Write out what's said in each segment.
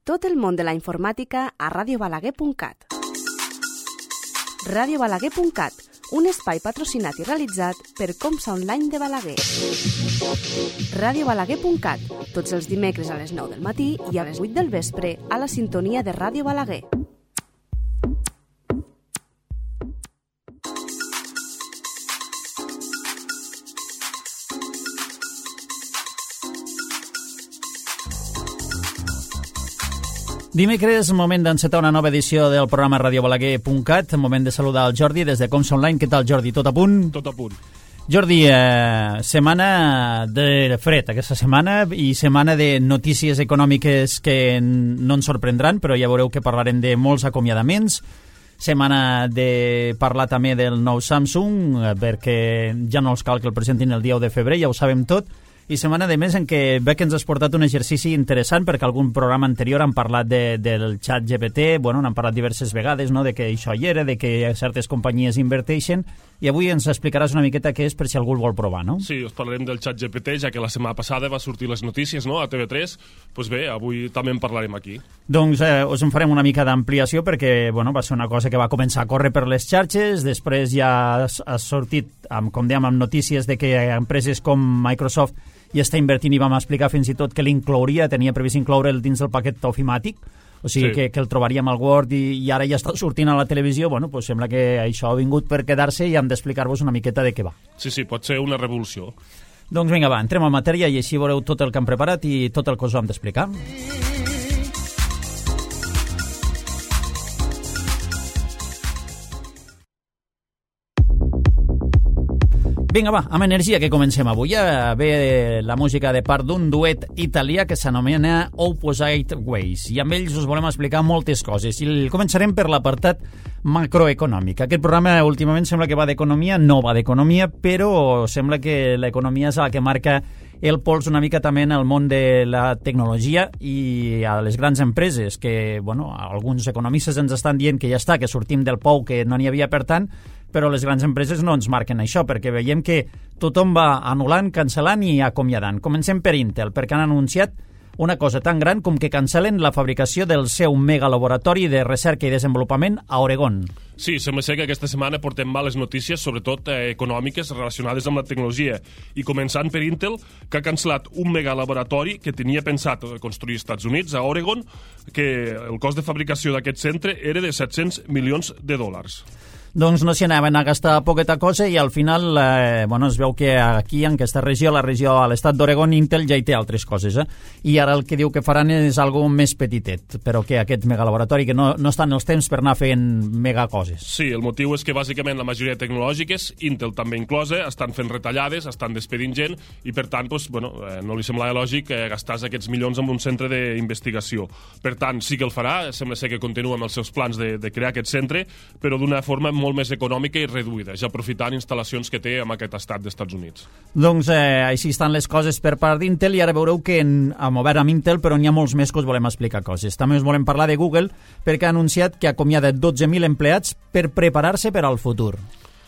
Tot el món de la informàtica a radiobalaguer.cat. radiobalaguer.cat, un espai patrocinat i realitzat per Comsa Online de Balaguer. radiobalaguer.cat, tots els dimecres a les 9 del matí i a les 8 del vespre a la sintonia de Ràdio Balaguer. Dimecres, moment d'encetar una nova edició del programa radiobalaguer.cat, moment de saludar el Jordi des de Comsa Online. Què tal, Jordi? Tot a punt? Tot a punt. Jordi, setmana de fred aquesta setmana i setmana de notícies econòmiques que no ens sorprendran, però ja veureu que parlarem de molts acomiadaments. Setmana de parlar també del nou Samsung, perquè ja no els cal que el presentin el dia 1 de febrer, ja ho sabem tot. I setmana de més en què veig que ens has portat un exercici interessant, perquè algun programa anterior han parlat del xat GPT, bueno, n'han parlat diverses vegades, no?, de que això hi era, de que certes companyies inverteixen, i avui ens explicaràs una miqueta què és per si algú el vol provar, no? Sí, us parlarem del xat GPT, ja que la setmana passada va sortir les notícies, no?, a TV3, doncs bé, avui també en parlarem aquí. Doncs us en farem una mica d'ampliació, perquè, bueno, va ser una cosa que va començar a córrer per les xarxes, després ja ha sortit, com dèiem, amb notícies de que empreses com Microsoft i està invertint i vam explicar fins i tot que l'inclouria, tenia previst incloure'l dins del paquet ofimàtic, o sigui sí, que el trobaríem al Word i ara ja està sortint a la televisió. Bueno, doncs sembla que això ha vingut per quedar-se i hem d'explicar-vos una miqueta de què va. Sí, pot ser una revolució. Doncs vinga, va, entrem en matèria i així veureu tot el que hem preparat i tot el que us hem d'explicar. Vinga, va, amb energia que comencem avui. Ve la música de part d'un duet italià que s'anomena Opposite Ways i amb ells us volem explicar moltes coses i començarem per l'apartat macroeconòmic. Aquest programa últimament sembla que va d'economia, no va d'economia, però sembla que l'economia és la que marca el pols una mica també en el món de la tecnologia i a les grans empreses, que, bueno, alguns economistes ens estan dient que ja està, que sortim del pou, que no n'hi havia per tant, però les grans empreses no ens marquen això, perquè veiem que tothom va anul·lant, cancel·lant i acomiadant. Comencem per Intel, perquè han anunciat una cosa tan gran com que cancel·len la fabricació del seu megalaboratori de recerca i desenvolupament a Oregon. Sí, sembla ser que aquesta setmana portem males notícies, sobretot econòmiques, relacionades amb la tecnologia. I començant per Intel, que ha cancel·lat un megalaboratori que tenia pensat construir als Estats Units, a Oregon, que el cost de fabricació d'aquest centre era de $700 milions. Doncs no s'hi anaven a gastar poqueta cosa i al final es veu que aquí, en aquesta regió, la regió a l'estat d'Oregon, Intel ja hi té altres coses. I ara el que diu que faran és algo més petitet, però que aquest megalaboratori, que no estan els temps per anar fent megacoses. Sí, el motiu és que bàsicament la majoria tecnològiques, Intel també inclosa, estan fent retallades, estan despedint gent i per tant no li semblava lògic gastar aquests milions en un centre d'investigació. Per tant, sí que el farà, sembla ser que continua amb els seus plans de crear aquest centre, però d'una forma molt més econòmica i reduïda, ja aprofitant instal·lacions que té en aquest estat dels Estats Units. Doncs així estan les coses per part d'Intel i ara veureu que hem obert amb Intel, però n'hi ha molts més que us volem explicar coses. També us volem parlar de Google perquè ha anunciat que ha acomiadat 12.000 empleats per preparar-se per al futur.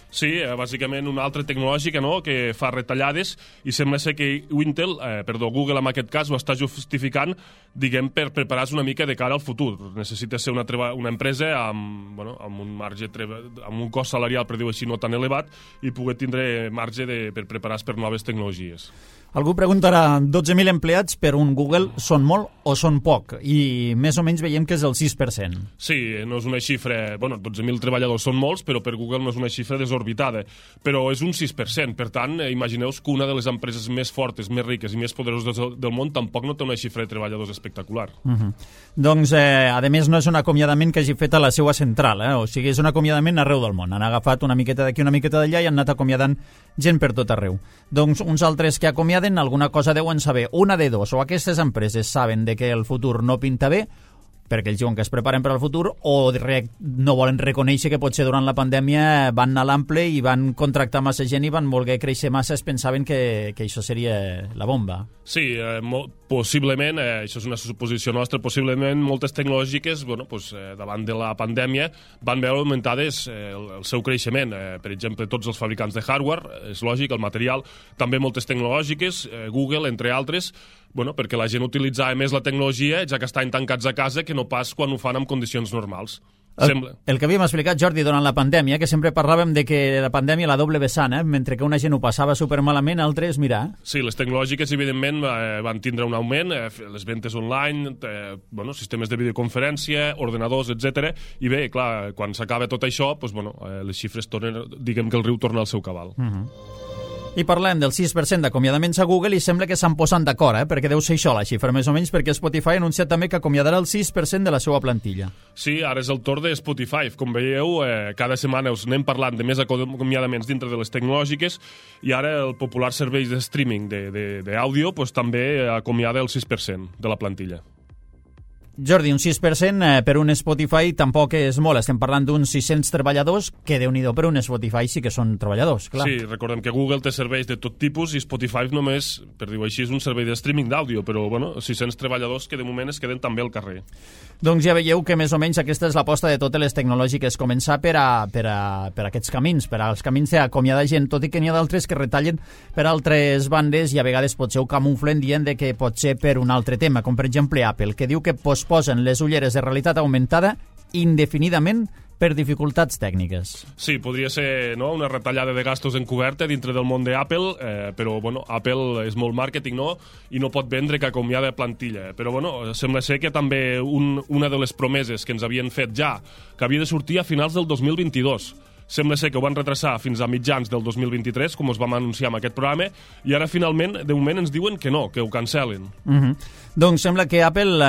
Sí, bàsicament una altra tecnològica, no?, que fa retallades i sembla ser que Google en aquest cas ho està justificant, diguem, per preparar-se una mica de cara al futur. Necessita ser una empresa amb un marge, amb un cost salarial, per dir-ho així, no tan elevat i poder tindre marge per preparar-se per noves tecnologies. Algú preguntarà, 12.000 empleats per un Google són molt o són poc? I més o menys veiem que és el 6%. Sí, no és una xifra... 12.000 treballadors són molts, però per Google no és una xifra desorbitada. Però és un 6%. Per tant, imagineu-vos que una de les empreses més fortes, més riques i més poderoses del món tampoc no té una xifra de treballadors espectacular. Doncs, a més, no és un acomiadament que hagi fet a la seva central. O sigui, és un acomiadament arreu del món. Han agafat una miqueta d'aquí, una miqueta d'allà i han anat acomiadant gent per tot arreu. Doncs uns altres que acomiaden alguna cosa deuen saber. Una de dos, o aquestes empreses saben de que el futur no pinta bé, perquè ells diuen que es preparen per al futur, o no volen reconèixer que potser durant la pandèmia van anar a l'ample i van contractar massa gent i van voler créixer massa, es pensaven que això seria la bomba. Sí, possiblement, això és una suposició nostra, possiblement moltes tecnològiques, davant de la pandèmia, van veure augmentades el seu creixement. Per exemple, tots els fabricants de hardware, és lògic, el material, també moltes tecnològiques, Google, entre altres, perquè la gent utilitzava més la tecnologia, ja que estan tancats a casa, que no pas quan ho fan en condicions normals. El que havíem explicat, Jordi, durant la pandèmia, que sempre parlàvem de que la pandèmia la doble vessant, mentre que una gent ho passava supermalament, altres, mira... Sí, les tecnològiques, evidentment, van tindre un augment, les ventes online, sistemes de videoconferència, ordenadors, etc. I bé, clar, quan s'acaba tot això, les xifres tornen, diguem que el riu torna al seu cabal. I parlem del 6% d'acomiadaments a Google i sembla que s'han posat d'acord, perquè deu ser això la xifra, més o menys, perquè Spotify ha anunciat també que acomiadarà el 6% de la seva plantilla. Sí, ara és el torn de Spotify. Com veieu, cada setmana us anem parlant de més acomiadaments dintre de les tecnològiques i ara el popular servei de streaming d'àudio també acomiada el 6% de la plantilla. Jordi, un 6% per un Spotify tampoc és molt. Estem parlant d'uns 600 treballadors, que Déu-n'hi-do, per un Spotify sí que són treballadors, clar. Sí, recordem que Google té serveis de tot tipus i Spotify només, per dir-ho així, és un servei de streaming d'àudio, però 600 treballadors que de moment es queden també al carrer. Doncs ja veieu que més o menys aquesta és l'aposta de totes les tecnològiques, començar per aquests camins, per als camins d'acomiadar gent, tot i que n'hi ha d'altres que retallen per altres bandes i a vegades potser ho camuflen dient que pot ser per un altre tema, com per exemple Apple, que diu que posposen les ulleres de realitat augmentada indefinidament per dificultats tècniques. Sí, podria ser una retallada de gastos encoberta dintre del món d'Apple, però Apple és molt màrqueting, i no pot vendre que acomiada plantilla. Però sembla ser que també una de les promeses que ens havien fet ja, que havia de sortir a finals del 2022, sembla ser que ho van retrasar fins a mitjans del 2023, com us vam anunciar en aquest programa, i ara finalment, de moment, ens diuen que no, que ho cancel·len. Doncs sembla que Apple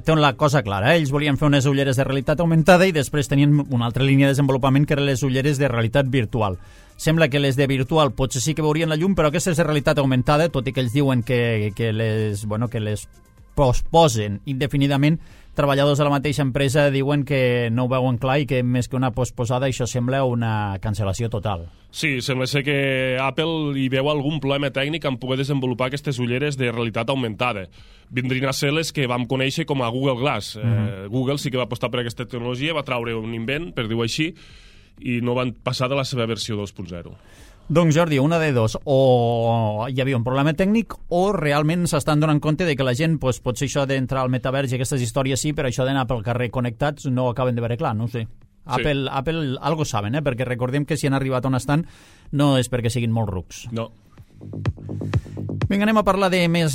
té la cosa clara. Ells volien fer unes ulleres de realitat augmentada i després tenien una altra línia de desenvolupament que eren les ulleres de realitat virtual. Sembla que les de virtual potser sí que veurien la llum, però aquestes de realitat augmentada, tot i que ells diuen que les posposen indefinidament, treballadors de la mateixa empresa diuen que no ho veuen clar i que més que una posposada això sembla una cancel·lació total. Sí, sembla ser que Apple hi veu algun problema tècnic en poder desenvolupar aquestes ulleres de realitat augmentada. Vindrien a ser les que vam conèixer com a Google Glass. Google sí que va apostar per aquesta tecnologia, va traure un invent, per dir-ho així, i no van passar de la seva versió 2.0. Doncs Jordi, una de dos, o hi havia un problema tècnic o realment s'estan donant compte de que la gent, potser això d'entrar al metavers i aquestes històries sí, però això d'anar pel carrer connectats no ho acaben de veure clar, no ho sé. Sí. Apple algo saben, perquè recordem que si han arribat on estan no és perquè siguin molt rucs. No. Vinga, anem a parlar de més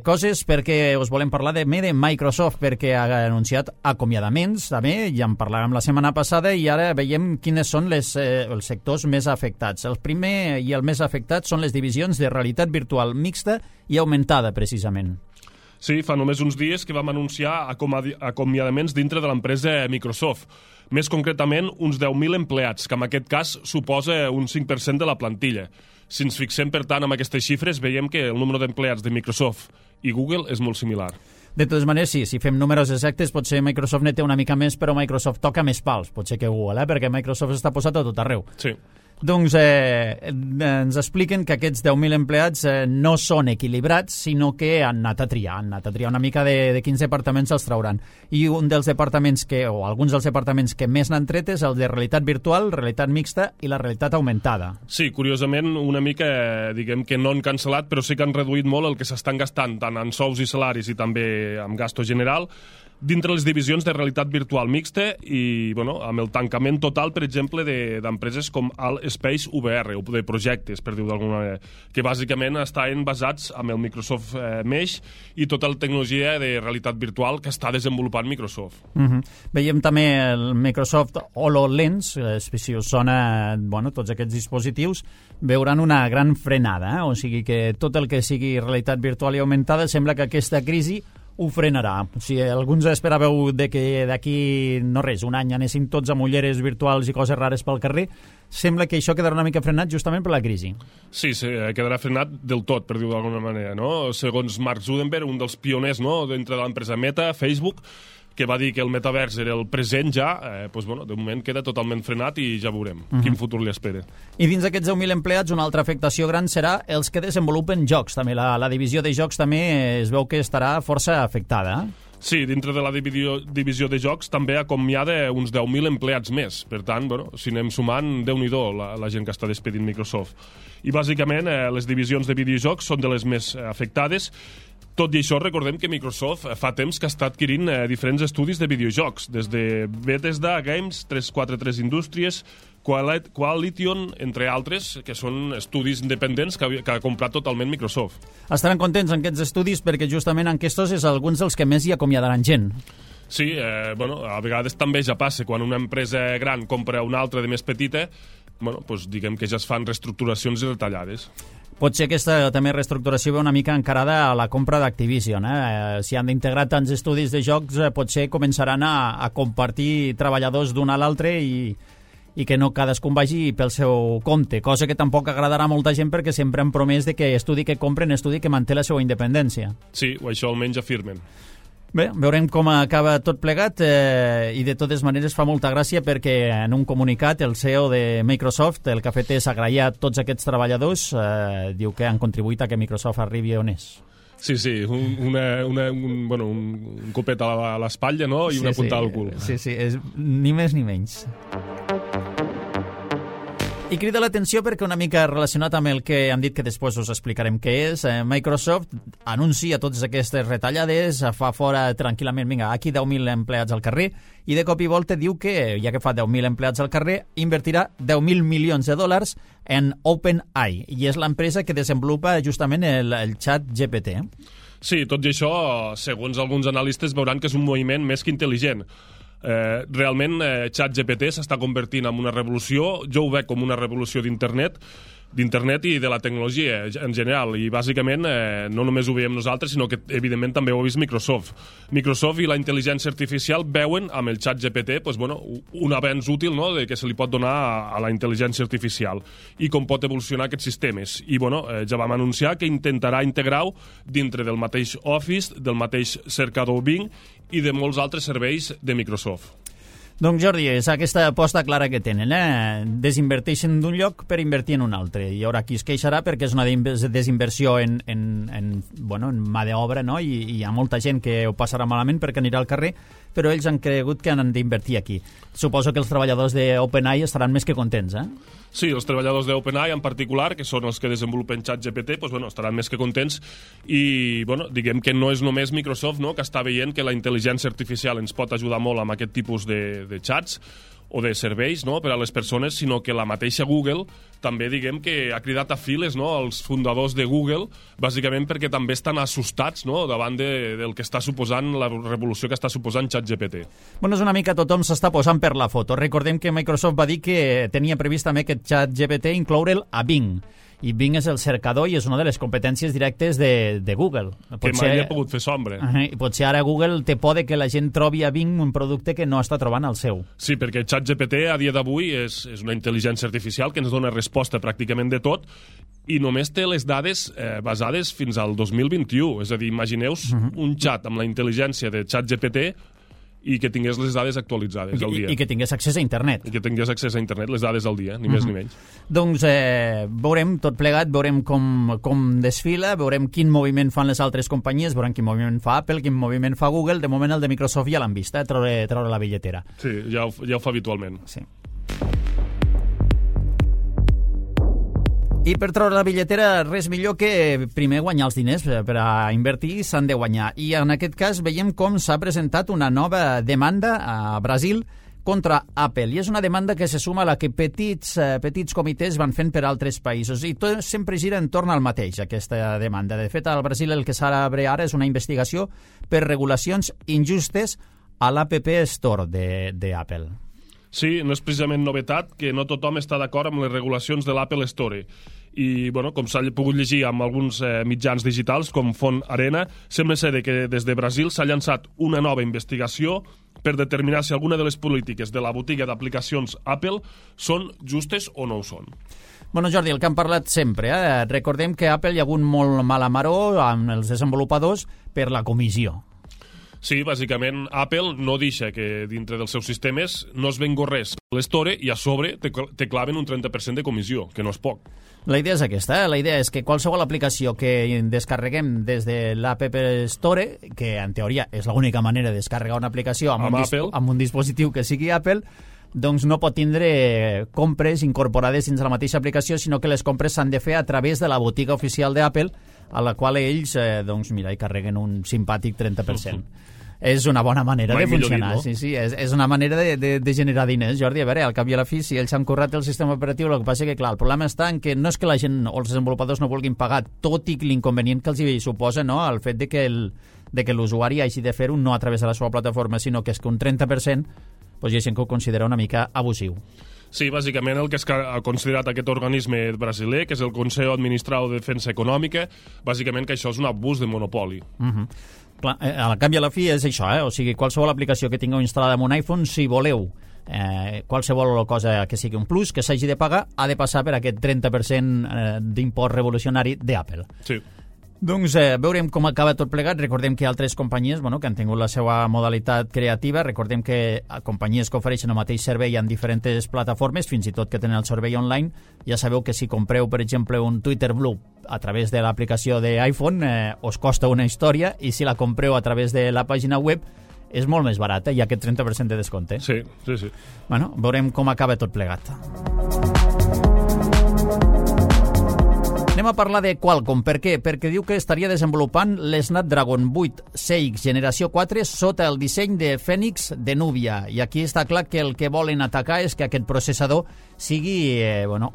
coses, perquè us volem parlar de Microsoft, perquè ha anunciat acomiadaments també, ja en parlàvem la setmana passada i ara veiem quines són els sectors més afectats. El primer i el més afectat són les divisions de realitat virtual mixta i augmentada, precisament. Sí, fa només uns dies que vam anunciar acomiadaments dintre de l'empresa Microsoft. Més concretament, uns 10.000 empleats, que en aquest cas suposa un 5% de la plantilla. Si ens fixem, per tant, en aquestes xifres, veiem que el número d'empleats de Microsoft i Google és molt similar. De totes maneres, sí, si fem números exactes, potser Microsoft ne té una mica més, però Microsoft toca més pals, potser que Google, perquè Microsoft està posat a tot arreu. Sí. Doncs ens expliquen que aquests 10.000 empleats no són equilibrats, sinó que han anat a triar una mica de quins departaments els trauran. I un dels departaments o alguns dels departaments que més n'han tret és el de realitat virtual, realitat mixta i la realitat augmentada. Sí, curiosament, una mica, diguem que no han cancel·lat, però sí que han reduït molt el que s'estan gastant, tant en sous i salaris i també en gasto general, dintre les divisions de realitat virtual mixta i amb el tancament total, per exemple, d'empreses com el Space VR, o de projectes, per dir-ho d'alguna manera, que bàsicament estaven basats en el Microsoft Mesh i tota la tecnologia de realitat virtual que està desenvolupant Microsoft. Veiem també el Microsoft HoloLens, si us sona tots aquests dispositius, veuran una gran frenada, o sigui que tot el que sigui realitat virtual i augmentada sembla que aquesta crisi ho frenarà. Si alguns esperàveu que d'aquí, no res, un any anessin tots amb ulleres virtuals i coses rares pel carrer, sembla que això quedarà una mica frenat justament per la crisi. Sí, quedarà frenat del tot, per dir-ho d'alguna manera, no? Segons Mark Zuckerberg, un dels pioners, no?, dintre de l'empresa Meta, Facebook, que va dir que el metavers era el present ja, doncs, bueno, de moment queda totalment frenat i ja veurem quin futur li espera. I dins d'aquests 10.000 empleats, una altra afectació gran serà els que desenvolupen jocs. També la divisió de jocs també es veu que estarà força afectada. Sí, dintre de la divisió de jocs també acomiada uns 10.000 empleats més. Per tant, bueno, si anem sumant, Déu-n'hi-do la gent que està despedint Microsoft. I bàsicament les divisions de videojocs són de les més afectades. Tot i això, recordem que Microsoft fa temps que està adquirint diferents estudis de videojocs, des de Bethesda Games, 343 Indústries, Coalition, entre altres, que són estudis independents que ha comprat totalment Microsoft. Estaran contents en aquests estudis perquè justament en aquests és alguns dels que més hi acomiadaran gent. Sí, bueno, a vegades també ja passa, quan una empresa gran compra una altra de més petita, bueno, doncs diguem que ja es fan reestructuracions i retallades. Pot ser aquesta també reestructuració ve una mica encarada a la compra d'Activision. Si han d'integrar tants estudis de jocs, potser començaran a compartir treballadors d'un a l'altre i que no cadascun vagi pel seu compte, cosa que tampoc agradarà a molta gent perquè sempre han promès de que estudi que compren, estudi que manté la seva independència. Sí, o això almenys afirmen. Bé, veurem com acaba tot plegat i de totes maneres fa molta gràcia perquè en un comunicat el CEO de Microsoft el que ha fet és agrair a tots aquests treballadors, diu que han contribuït a que Microsoft arribi on és. Sí, un copet a l'espatlla, no? I una puntada al cul. Sí, és ni més ni menys. I crida l'atenció perquè una mica relacionat amb el que han dit que després us explicarem què és, Microsoft anuncia totes aquestes retallades, fa fora tranquil·lament, vinga, aquí 10.000 empleats al carrer, i de cop i volta diu que, ja que fa 10.000 empleats al carrer, invertirà 10.000 milions de dòlars en OpenAI, i és l'empresa que desenvolupa justament el xat GPT. Sí, tot i això, segons alguns analistes, veuran que és un moviment més que intel·ligent. Realment ChatGPT s'està convertint en una revolució. Jo ho veig com una revolució d'internet i de la tecnologia en general, i bàsicament no només ho veiem nosaltres, sinó que evidentment també ho ha vist Microsoft. Microsoft i la intel·ligència artificial veuen amb el ChatGPT un avenç útil, no?, de que se li pot donar a la intel·ligència artificial i com pot evolucionar aquests sistemes. I ja vam anunciar que intentarà integrar-ho dintre del mateix Office, del mateix cercador Bing i de molts altres serveis de Microsoft. Doncs Jordi, és aquesta aposta clara que tenen, desinverteixen d'un lloc per invertir en un altre. Hi haurà qui es queixarà perquè és una desinversió en mà d'obra, no? I hi ha molta gent que ho passarà malament perquè anirà al carrer, però ells han cregut que han d'invertir aquí. Suposo que els treballadors d'OpenAI estaran més que contents, Sí, els treballadors d'OpenAI en particular, que són els que desenvolupen ChatGPT, estaran més que contents i, diguem que no és només Microsoft, no?, que està veient que la intel·ligència artificial ens pot ajudar molt amb aquest tipus de xats o de serveis, no?, per a les persones, sinó que la mateixa Google també, diguem que ha cridat a files, no?, els fundadors de Google, bàsicament perquè també estan assustats, no?, davant del que està suposant, la revolució que està suposant ChatGPT. És una mica tothom s'està posant per la foto. Recordem que Microsoft va dir que tenia previst també aquest ChatGPT incloure'l a Bing. I Bing és el cercador i és una de les competències directes de Google. Que mai ha pogut fer sombra. Potser ara Google té por de que la gent trobi a Bing un producte que no està trobant al seu. Sí, perquè ChatGPT a dia d'avui és una intel·ligència artificial que ens dona resposta pràcticament de tot i només té les dades basades fins al 2021. És a dir, imagineu-vos un xat amb la intel·ligència de ChatGPT i que tingués les dades actualitzades al dia. I que tingués accés a internet. I que tingués accés a internet, les dades al dia, ni més ni menys. Doncs veurem tot plegat, veurem com desfila, veurem quin moviment fan les altres companyies, veurem quin moviment fa Apple, quin moviment fa Google. De moment el de Microsoft ja l'han vist, treure la billetera. Sí, ja ho fa habitualment. Sí. I per treure la billetera, res millor que primer guanyar els diners. Per a invertir s'han de guanyar. I en aquest cas veiem com s'ha presentat una nova demanda a Brasil contra Apple. I és una demanda que se suma a la que petits comitès van fent per altres països. I tot sempre gira entorn al mateix, aquesta demanda. De fet, al Brasil el que s'obre ara és una investigació per regulacions injustes a l'App Store d'Apple. Sí, no és precisament novetat que no tothom està d'acord amb les regulacions de l'Apple Store. I, com s'ha pogut llegir amb alguns mitjans digitals, com Font Arena, sembla ser que des de Brasil s'ha llançat una nova investigació per determinar si alguna de les polítiques de la botiga d'aplicacions Apple són justes o no ho són. Jordi, el que hem parlat sempre, Recordem que a Apple hi ha hagut molt mala maror amb els desenvolupadors per la comissió. Sí, bàsicament Apple no deixa que dintre dels seus sistemes no es vengo res a l'Store i a sobre te claven un 30% de comissió, que no és poc. La idea és aquesta, La idea és que qualsevol aplicació que descarreguem des de l'App Store, que en teoria és l'única manera de descarregar una aplicació amb un dispositiu que sigui Apple, doncs no pot tindre compres incorporades dins la mateixa aplicació, sinó que les compres s'han de fer a través de la botiga oficial d'Apple, a la qual ells, hi carreguen un simpàtic 30%. És una bona manera de funcionar. Dit, no? Sí, és una manera de generar diners, Jordi. A veure, al cap i a la fi, si ells han currat el sistema operatiu, el que passa que, clar, el problema està en que no és que la gent o els desenvolupadors no vulguin pagar, tot i l'inconvenient que els hi suposa, no?, el fet de que l'usuari hagi de fer-ho no a través de la seva plataforma, sinó que és que un 30% hi ha gent que ho considera una mica abusiu. Sí, bàsicament el que ha considerat aquest organisme brasiler, que és el Consell Administrau de Defensa Econòmica, bàsicament que això és un abús de monopoli. Clar, al cap i a la fi és això, O sigui, qualsevol aplicació que tingueu instal·lada en un iPhone, si voleu qualsevol cosa que sigui un plus, que s'hagi de pagar, ha de passar per aquest 30% d'impost revolucionari d'Apple. Sí. Doncs veurem com acaba tot plegat. Recordem que hi ha altres companyies que han tingut la seva modalitat creativa. Recordem que companyies que ofereixen el mateix servei en diferents plataformes, fins i tot que tenen el servei online. Ja sabeu que si compreu, per exemple, un Twitter Blue a través de l'aplicació d'iPhone, us costa una història, i si la compreu a través de la pàgina web és molt més barata, i aquest 30% de descompte. Sí. Bueno, veurem com acaba tot plegat. Anem a parlar de Qualcomm. Per què? Perquè diu que estaria desenvolupant l'Snapdragon 8 6 generació 4 sota el disseny de Phoenix de Nubia. I aquí està clar que el que volen atacar és que aquest processador sigui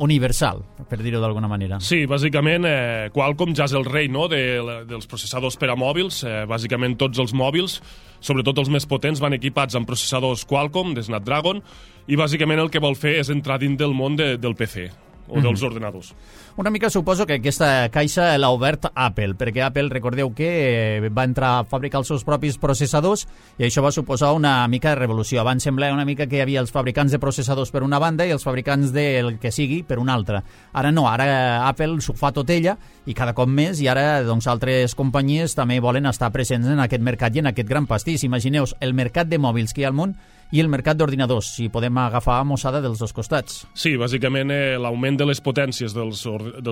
universal, per dir-ho d'alguna manera. Sí, bàsicament Qualcomm ja és el rei, no?, dels processadors per a mòbils. Bàsicament tots els mòbils, sobretot els més potents, van equipats amb processadors Qualcomm de Snapdragon, i bàsicament el que vol fer és entrar dins del món del PC o dels ordenadors. Una mica suposo que aquesta caixa l'ha obert Apple, perquè Apple, recordeu que va entrar a fabricar els seus propis processadors, i això va suposar una mica de revolució. Abans semblava una mica que hi havia els fabricants de processadors per una banda i els fabricants del que sigui per una altra. Ara no, ara Apple s'ho fa tot ella, i cada cop més, i ara altres companyies també volen estar presents en aquest mercat i en aquest gran pastís. Imagineu el mercat de mòbils que hi ha al món i el mercat d'ordinadors, si podem agafar mossada dels dos costats. Sí, bàsicament l'augment de les potències dels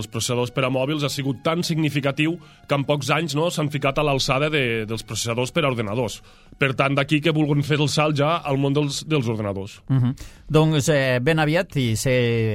processadors per a mòbils ha sigut tan significatiu que en pocs anys s'han ficat a l'alçada dels processadors per a ordenadors. Per tant, d'aquí que vulguin fer el salt ja al món dels ordenadors. Doncs ben aviat, i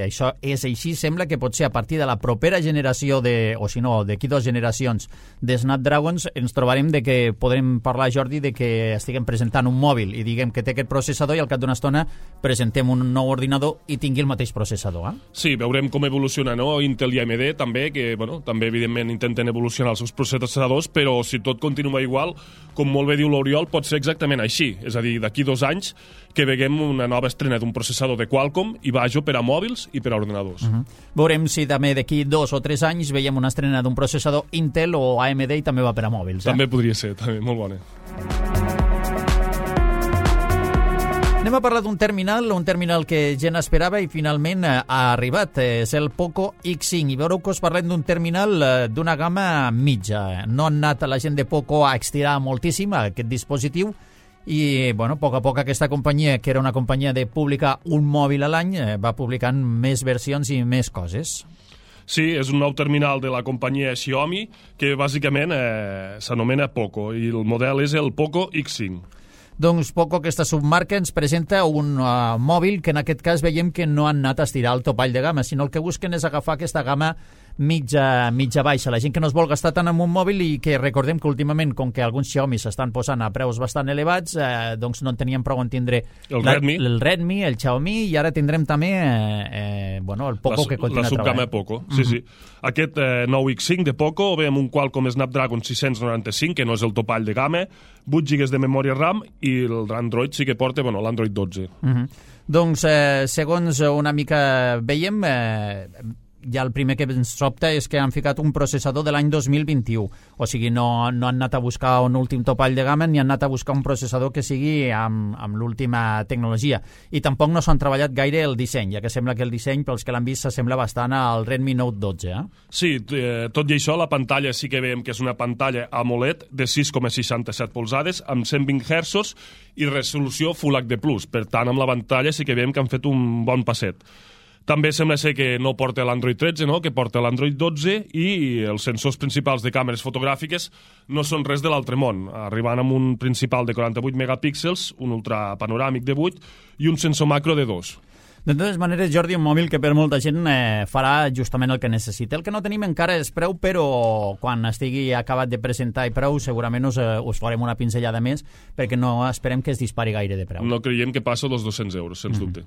això és així, sembla que potser a partir de la propera generació, o si no, d'aquí 2 generacions de Snapdragons, ens trobarem de que podrem parlar, Jordi, de que estiguem presentant un mòbil i diguem que té aquest processador, i al cap d'una estona presentem un nou ordinador i tingui el mateix processador. Sí, veurem com evoluciona, Intel i AMD també, que també evidentment intenten evolucionar els seus processadors, però si tot continua igual, com molt bé diu l'Oriol, pot ser exactament així. És a dir, d'aquí 2 anys que veiem una nova estrena d'un processador de Qualcomm i vaja per a mòbils i per a ordenadors. Veurem si també d'aquí 2 o 3 anys veiem una estrena d'un processador Intel o AMD i també va per a mòbils. També podria ser, també, molt bona. Anem a parlar d'un terminal que gent esperava i finalment ha arribat. És el Poco X5. I veureu que us parlem d'un terminal d'una gamma mitja. No han anat la gent de Poco a estirar moltíssim aquest dispositiu, i a poc a poc aquesta companyia, que era una companyia de publicar un mòbil a l'any, va publicant més versions i més coses. Sí, és un nou terminal de la companyia Xiaomi que bàsicament s'anomena Poco, i el model és el Poco X5. Doncs Poco, aquesta submarca, ens presenta un mòbil que en aquest cas veiem que no han anat a estirar el topall de gamma, sinó el que busquen és agafar aquesta gamma mitja baixa. La gent que no es vol gastar tant en un mòbil, i que recordem que últimament, com que alguns Xiaomi s'estan posant a preus bastant elevats, doncs no en teníem prou en tindre el Redmi, el Xiaomi, i ara tindrem també el Poco que continua treballant. La subgama Poco, sí. Aquest nou X5 de Poco ve amb un Qualcomm Snapdragon 695, que no és el topall de gamma, 8 GB de memòria RAM, i l'Android sí que porta l'Android 12. Doncs, segons una mica veiem, ja el primer que ens sobta és que han ficat un processador de l'any 2021. O sigui, no han anat a buscar un últim topall de gamma ni han anat a buscar un processador que sigui amb l'última tecnologia. I tampoc no s'han treballat gaire el disseny, ja que sembla que el disseny, pels que l'han vist, s'assembla bastant al Redmi Note 12. Sí, tot i això, la pantalla sí que veiem que és una pantalla AMOLED de 6,67 polzades amb 120 Hz i resolució Full HD+. Per tant, amb la pantalla sí que veiem que han fet un bon passet. També sembla ser que no porta l'Android 13, no? Que porta l'Android 12 i els sensors principals de càmeres fotogràfiques no són res de l'altre món, arribant amb un principal de 48 megapíxels, un ultrapanoràmic de 8 i un sensor macro de 2. De totes maneres, Jordi, un mòbil que per molta gent farà justament el que necessita. El que no tenim encara és preu, però quan estigui acabat de presentar i preu segurament us farem una pinzellada més, perquè no esperem que es dispari gaire de preu. No creiem que passa dels 200 euros, sens dubte.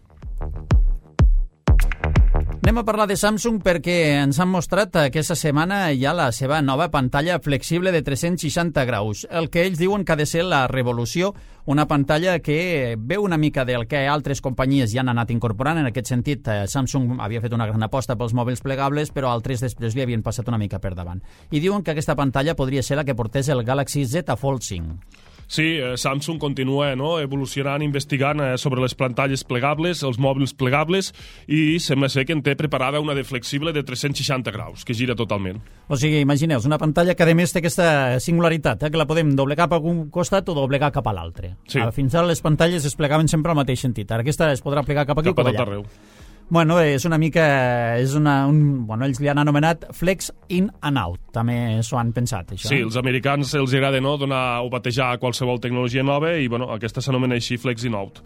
Anem a parlar de Samsung perquè ens han mostrat aquesta setmana ja la seva nova pantalla flexible de 360 graus. El que ells diuen que ha de ser la revolució, una pantalla que veu una mica del que altres companyies ja han anat incorporant. En aquest sentit, Samsung havia fet una gran aposta pels mòbils plegables, però altres després li havien passat una mica per davant. I diuen que aquesta pantalla podria ser la que portés el Galaxy Z Fold 5. Sí, Samsung continua evolucionant, investigant sobre les pantalles plegables, els mòbils plegables, i sembla ser que en té preparada una de flexible de 360 graus, que gira totalment. O sigui, imagineu, una pantalla que a més té aquesta singularitat, que la podem doblegar cap a un costat o doblegar cap a l'altre. Sí. Fins ara les pantalles es plegaven sempre al mateix sentit, ara aquesta es podrà plegar cap aquí o cap allà. Arreu. Bueno, és una mica... Bueno, ells li han anomenat Flex In and Out. També s'ho han pensat, això. Sí, els americans els agrada donar o batejar qualsevol tecnologia nova i aquesta s'anomena així Flex In Out.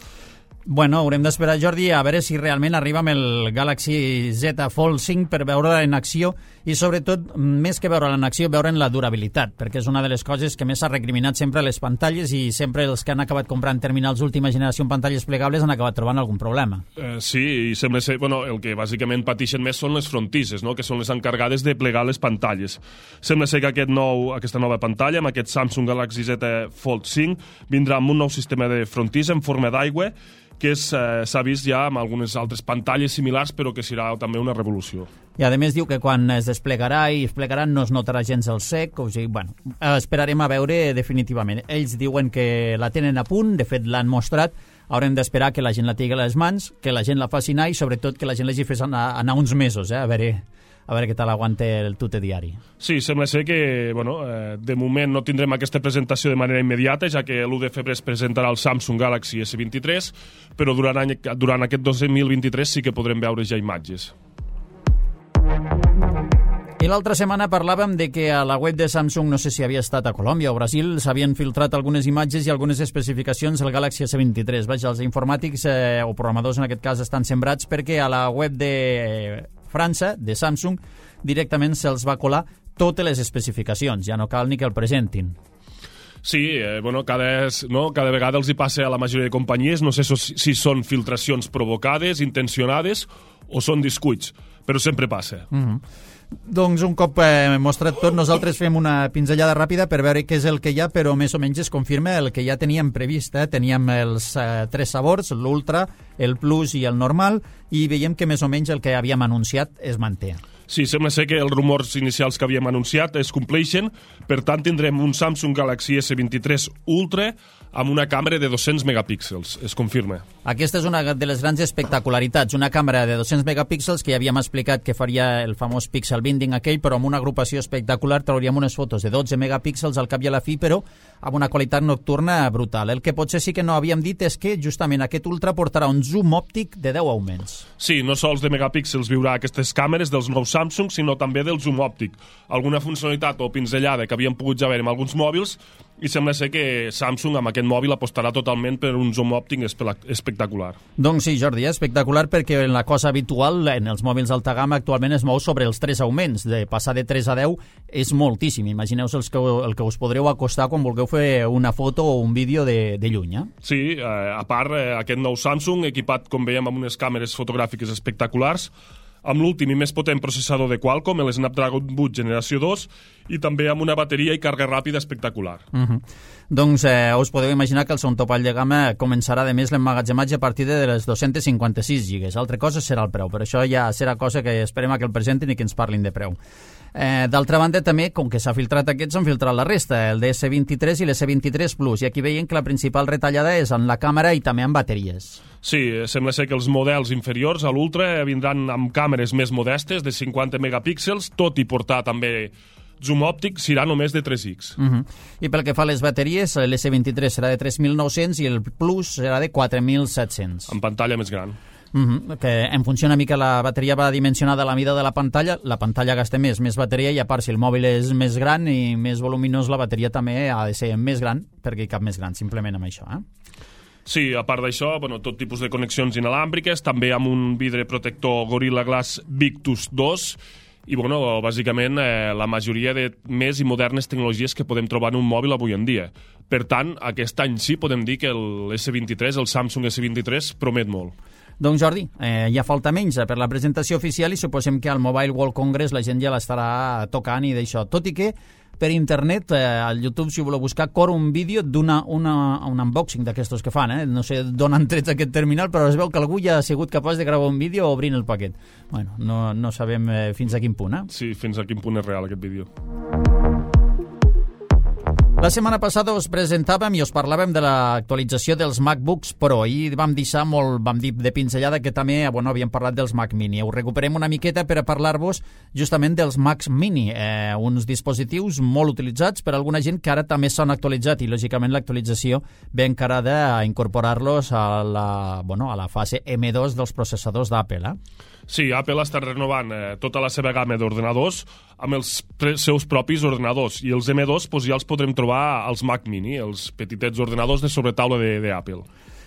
Bueno, haurem d'esperar, Jordi, a veure si realment arriba amb el Galaxy Z Fold 5 per veure-la en acció i, sobretot, més que veure-la en acció, veure en la durabilitat, perquè és una de les coses que més s'ha recriminat sempre a les pantalles i sempre els que han acabat comprant terminals última generació en pantalles plegables han acabat trobant algun problema. Sí, i sembla ser... el que bàsicament pateixen més són les frontisses, que són les encarregades de plegar les pantalles. Sembla ser que aquesta nova pantalla, amb aquest Samsung Galaxy Z Fold 5, vindrà amb un nou sistema de frontissa en forma d'aigua que s'ha vist ja amb algunes altres pantalles similars, però que serà també una revolució. I a més diu que quan es desplegarà i es plegarà no es notarà gens el sec, o sigui, esperarem a veure definitivament. Ells diuen que la tenen a punt, de fet l'han mostrat, haurem d'esperar que la gent la tingui a les mans, que la gent la faci anar i sobretot que la gent l'hagi fet anar uns mesos, a veure què tal aguanta el tute diari. Sí, sembla ser que, de moment no tindrem aquesta presentació de manera immediata, ja que l'1 de febrer es presentarà el Samsung Galaxy S23, però durant aquest 2023 sí que podrem veure ja imatges. I l'altra setmana parlàvem de que a la web de Samsung, no sé si havia estat a Colòmbia o Brasil, s'havien filtrat algunes imatges i algunes especificacions del Galaxy S23. Vaja, els informàtics o programadors en aquest cas estan sembrats perquè a la web de França, de Samsung, directament se'ls va colar totes les especificacions, ja no cal ni que el presentin. Sí, cada vegada els hi passa a la majoria de companyies, no sé si són filtracions provocades, intencionades o són descuits, però sempre passa. Doncs un cop mostrat tot, nosaltres fem una pinzellada ràpida per veure què és el que hi ha, però més o menys es confirma el que ja teníem previst. Teníem els 3 sabors, l'Ultra, el Plus i el normal, i veiem que més o menys el que havíem anunciat es manté. Sí, sembla ser que els rumors inicials que havíem anunciat es compleixen, per tant tindrem un Samsung Galaxy S23 Ultra amb una càmera de 200 megapíxels, es confirma. Aquesta és una de les grans espectacularitats, una càmera de 200 megapíxels que ja havíem explicat que faria el famós pixel binding aquell, però amb una agrupació espectacular trauríem unes fotos de 12 megapíxels al cap i a la fi, però amb una qualitat nocturna brutal. El que potser sí que no havíem dit és que justament aquest Ultra portarà un zoom òptic de 10 augments. Sí, no sols de megapíxels viurà aquestes càmeres dels nous Samsung, sinó també del zoom òptic. Alguna funcionalitat o pinzellada que havíem pogut ja veure amb alguns mòbils, i sembla ser que Samsung amb aquest mòbil apostarà totalment per un zoom òptic espectacular. Doncs sí, Jordi, espectacular, perquè la cosa habitual en els mòbils d'alta gamma actualment es mou sobre els 3 augments. De passar de 3 a 10 és moltíssim. Imagineu el que us podreu acostar quan vulgueu fer una foto o un vídeo de lluny. Sí, a part, aquest nou Samsung, equipat, com veiem, amb unes càmeres fotogràfiques espectaculars, amb l'últim i més potent processador de Qualcomm, el Snapdragon 8 generació 2, i també amb una bateria i càrrega ràpida espectacular. Doncs us podeu imaginar que el segon topall de gamma començarà, de més, l'emmagatzematge a partir de les 256 gigas. Altra cosa serà el preu, però això ja serà cosa que esperem que el presentin i que ens parlin de preu. D'altra banda, també, com que s'ha filtrat aquests, s'han filtrat la resta, el DS23 i l'S23 Plus, i aquí veiem que la principal retallada és en la càmera i també en bateries. Sí, sembla ser que els models inferiors a l'Ultra vindran amb càmeres més modestes, de 50 megapíxels, tot i portar també zoom òptic, serà només de 3x. I pel que fa a les bateries, l'S23 serà de 3.900 i el Plus serà de 4.700. Amb pantalla més gran. Que en funció una mica la bateria va dimensionada a la mida de la pantalla gasta més bateria, i a part si el mòbil és més gran i més voluminós, la bateria també ha de ser més gran, perquè hi cap més gran, simplement amb això. Sí, a part d'això, tot tipus de connexions inalàmbriques, també amb un vidre protector Gorilla Glass Victus 2, i bàsicament la majoria de més i modernes tecnologies que podem trobar en un mòbil avui en dia. Per tant, aquest any sí podem dir que el Samsung S23 promet molt. Doncs Jordi, ja falta menys per la presentació oficial i suposem que al Mobile World Congress la gent ja l'estarà tocant i d'això. Tot i que per internet, al YouTube, si voleu buscar, corre un vídeo d'un unboxing d'aquestos que fan. No sé d'on han tret aquest terminal, però es veu que algú ja ha sigut capaç de gravar un vídeo obrint el paquet. Bueno, no sabem fins a quin punt. Sí, fins a quin punt és real aquest vídeo. La setmana passada us presentàvem i us parlàvem de l'actualització dels MacBooks Pro i vam dir de pinzellada que també havíem parlat dels Mac Mini. Ho recuperem una miqueta per a parlar-vos justament dels Macs Mini, uns dispositius molt utilitzats per alguna gent que ara també s'han actualitzat i lògicament l'actualització ve encarada a incorporar-los a la fase M2 dels processadors d'Apple. Sí, Apple està renovant tota la seva gamma d'ordenadors amb els seus propis ordenadors, i els M2 ja els podrem trobar als Mac Mini, els petitets ordenadors de sobretaula d'Apple.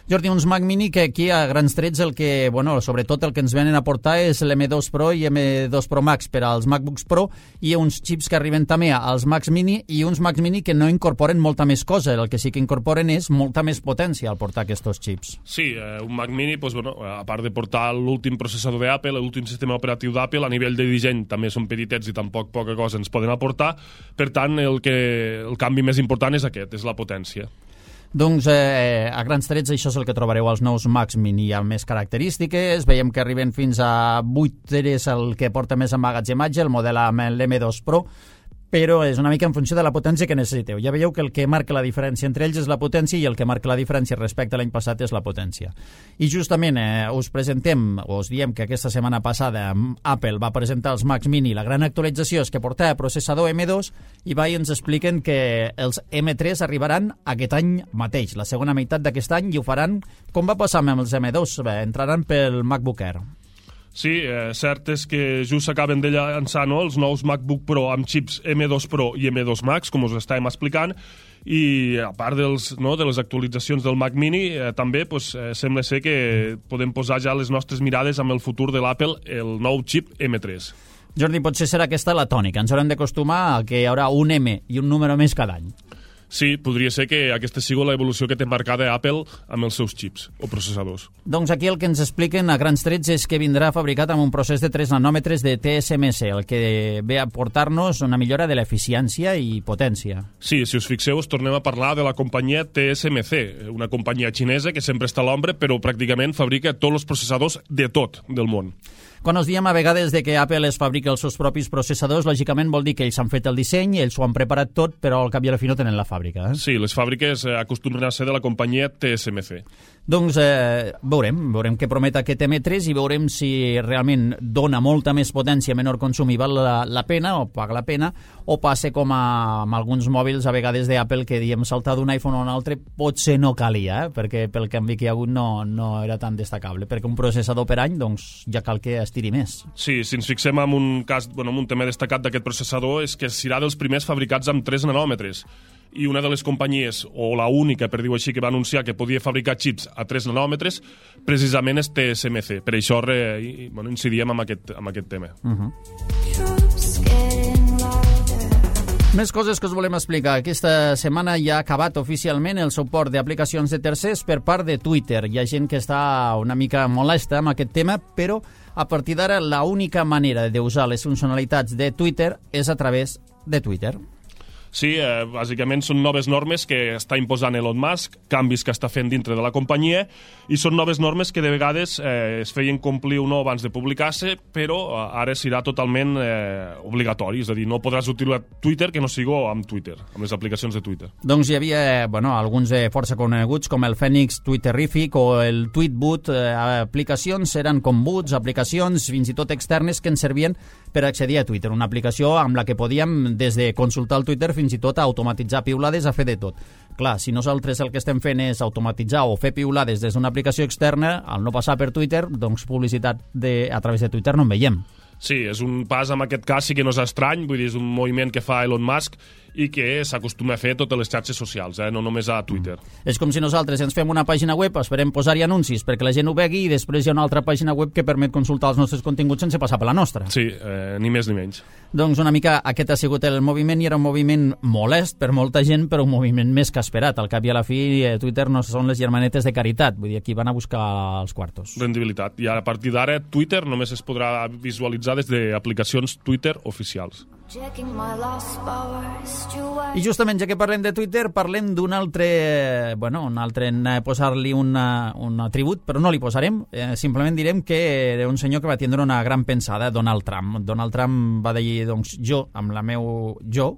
Jordi, uns Mac Mini que aquí a grans trets sobretot el que ens venen a portar és l'M2 Pro i M2 Pro Max per als MacBooks Pro, i uns xips que arriben també als Macs Mini, i uns Macs Mini que no incorporen molta més cosa, el que sí que incorporen és molta més potència al portar aquests xips. Sí, un Mac Mini, a part de portar l'últim processador d'Apple, l'últim sistema operatiu d'Apple, a nivell de disseny també són petitets i tampoc poca cosa ens poden aportar, per tant el canvi més important és aquest, és la potència. Doncs a grans trets això és el que trobareu als nous Macs Mini. Hi ha més característiques, veiem que arriben fins a 8 teres el que porta més emmagatzematge, el model amb l'M2 Pro, però és una mica en funció de la potència que necessiteu. Ja veieu que el que marca la diferència entre ells és la potència, i el que marca la diferència respecte a l'any passat és la potència. I justament us diem que aquesta setmana passada Apple va presentar els Macs Mini. La gran actualització és que portava processador M2 i ens expliquen que els M3 arribaran aquest any mateix, la segona meitat d'aquest any, i ho faran com va passar amb els M2, entraran pel MacBook Air. Sí, cert és que just s'acaben de llançar els nous MacBook Pro amb xips M2 Pro i M2 Max, com us estàvem explicant, i a part de les actualitzacions del Mac Mini, també sembla ser que podem posar ja les nostres mirades amb el futur de l'Apple, el nou xip M3. Jordi, potser serà aquesta la tònica. Ens haurem d'acostumar a que hi haurà un M i un número més cada any. Sí, podria ser que aquesta sigui l'evolució que té marcada Apple amb els seus xips o processadors. Doncs aquí el que ens expliquen a grans trets és que vindrà fabricat amb un procés de 3 nanòmetres de TSMC, el que ve a portar-nos una millora de l'eficiència i potència. Sí, si us fixeu, tornem a parlar de la companyia TSMC, una companyia xinesa que sempre està a l'ombra, però pràcticament fabrica tots els processadors de tot del món. Quan us diem a vegades de que Apple es fabrica els seus propis processadors, lògicament vol dir que ells han fet el disseny, ells ho han preparat tot, però al cap i a la fi no tenen la fàbrica. Sí, les fàbriques acostumen a ser de la companyia TSMC. Doncs veurem què promet aquest M3 i veurem si realment dona molta més potència, menor consum i val la pena, o paga la pena, o passa com amb alguns mòbils a vegades d'Apple que diem saltar d'un iPhone a un altre potser no calia, perquè pel canvi que hi ha hagut no era tan destacable, perquè un processador per any doncs ja cal que estiri més. Sí, si ens fixem en un cas, en un tema destacat d'aquest processador és que serà dels primers fabricats amb 3 nanòmetres. I una de les companyies, o la única, per dir-ho així, que va anunciar que podia fabricar xips a 3 nanòmetres, precisament és TSMC. Per això incidíem en aquest tema. Més coses que us volem explicar. Aquesta setmana ja ha acabat oficialment el suport d'aplicacions de tercers per part de Twitter. Hi ha gent que està una mica molesta amb aquest tema, però a partir d'ara l'única manera d'usar les funcionalitats de Twitter és a través de Twitter. Sí, bàsicament són noves normes que està imposant Elon Musk, canvis que està fent dintre de la companyia, i són noves normes que de vegades es feien complir o no abans de publicar-se, però ara serà totalment obligatori, és a dir, no podràs utilitzar Twitter que no sigui amb Twitter, amb les aplicacions de Twitter. Doncs hi havia alguns força coneguts com el Phoenix Twitterific o el Tweetbot, aplicacions eren com bots, aplicacions fins i tot externes que ens servien per accedir a Twitter, una aplicació amb la que podíem des de consultar el Twitter fins i tot a automatitzar piulades, a fer de tot. Clar, si nosaltres el que estem fent és automatitzar o fer piulades des d'una aplicació externa, al no passar per Twitter, doncs publicitat a través de Twitter no en veiem. Sí, és un pas, en aquest cas sí que no és estrany, vull dir, és un moviment que fa Elon Musk i que s'acostuma a fer a totes les xarxes socials, no només a Twitter. És com si nosaltres ens fem una pàgina web, esperem posar-hi anuncis perquè la gent ho vegi i després hi ha una altra pàgina web que permet consultar els nostres continguts sense passar per la nostra. Sí, ni més ni menys. Doncs una mica aquest ha sigut el moviment i era un moviment molest per molta gent, però un moviment més que esperat. Al cap i a la fi, Twitter no són les germanetes de caritat, vull dir, aquí van a buscar els quartos. Rendibilitat. I a partir d'ara Twitter només es podrà visualitzar des d'aplicacions Twitter oficials. I justament, ja que parlem de Twitter, parlem d'un altre, posar-li un atribut, però no li posarem, simplement direm que era un senyor que va tindre una gran pensada, Donald Trump. Donald Trump va dir, doncs,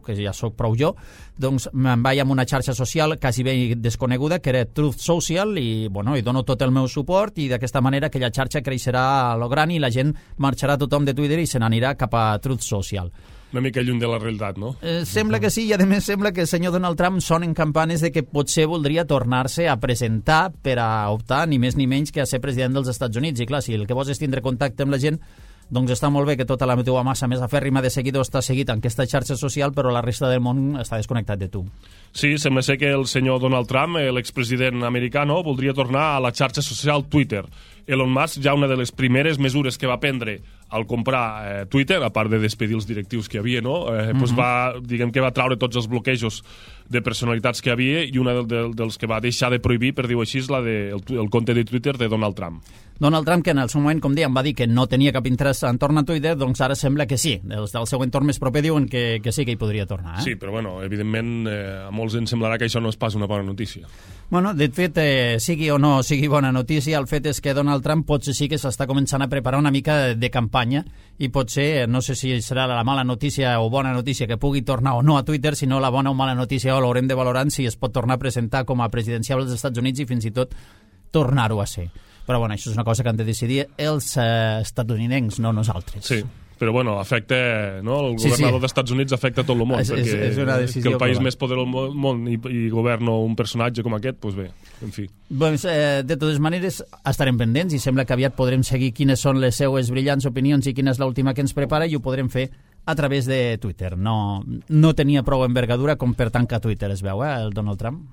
que ja sóc prou jo, doncs me'n vaig amb una xarxa social quasi bé desconeguda, que era Truth Social, i dono tot el meu suport, i d'aquesta manera aquella xarxa creixerà a lo gran i la gent marxarà tothom de Twitter i se n'anirà cap a Truth Social. Una mica lluny de la realitat, no? Sembla que sí, i a més sembla que el senyor Donald Trump sonen campanes de que potser voldria tornar-se a presentar per a optar ni més ni menys que a ser president dels Estats Units. I clar, si el que vols és tindre contacte amb la gent, doncs està molt bé que tota la teva massa més afèrrima de seguidors està seguit en aquesta xarxa social, però la resta del món està desconnectat de tu. Sí, sembla ser que el senyor Donald Trump, l'expresident americà, voldria tornar a la xarxa social Twitter. Elon Musk, ja una de les primeres mesures que va prendre al comprar Twitter, a part de despedir els directius que hi havia, diguem que va traure tots els bloquejos de personalitats que hi havia, i una dels que va deixar de prohibir, per dir-ho així, és el compte de Twitter de Donald Trump. Donald Trump, que en el seu moment, com dèiem, va dir que no tenia cap interès en tornar a Twitter, doncs ara sembla que sí. Els del seu entorn més proper diuen que sí que hi podria tornar. Sí, però evidentment a molts ens semblarà que això no és pas una bona notícia. De fet, sigui o no sigui bona notícia, el fet és que Donald Trump potser sí que s'està començant a preparar una mica de campanya i potser, no sé si serà la mala notícia o bona notícia que pugui tornar o no a Twitter, sinó la bona o mala notícia l'haurem de valorar si es pot tornar a presentar com a presidencial dels Estats Units i fins i tot tornar-ho a ser. Però això és una cosa que han de decidir els estatunidencs, no nosaltres. Sí. Però afecta, el governador dels Estats Units afecta tot el món, perquè que el país més poderós del món i governa un personatge com aquest, doncs bé, en fi. De totes maneres, estarem pendents i sembla que aviat podrem seguir quines són les seues brillants opinions i quina és l'última que ens prepara, i ho podrem fer a través de Twitter. No tenia prou envergadura com per tancar Twitter, es veu, el Donald Trump.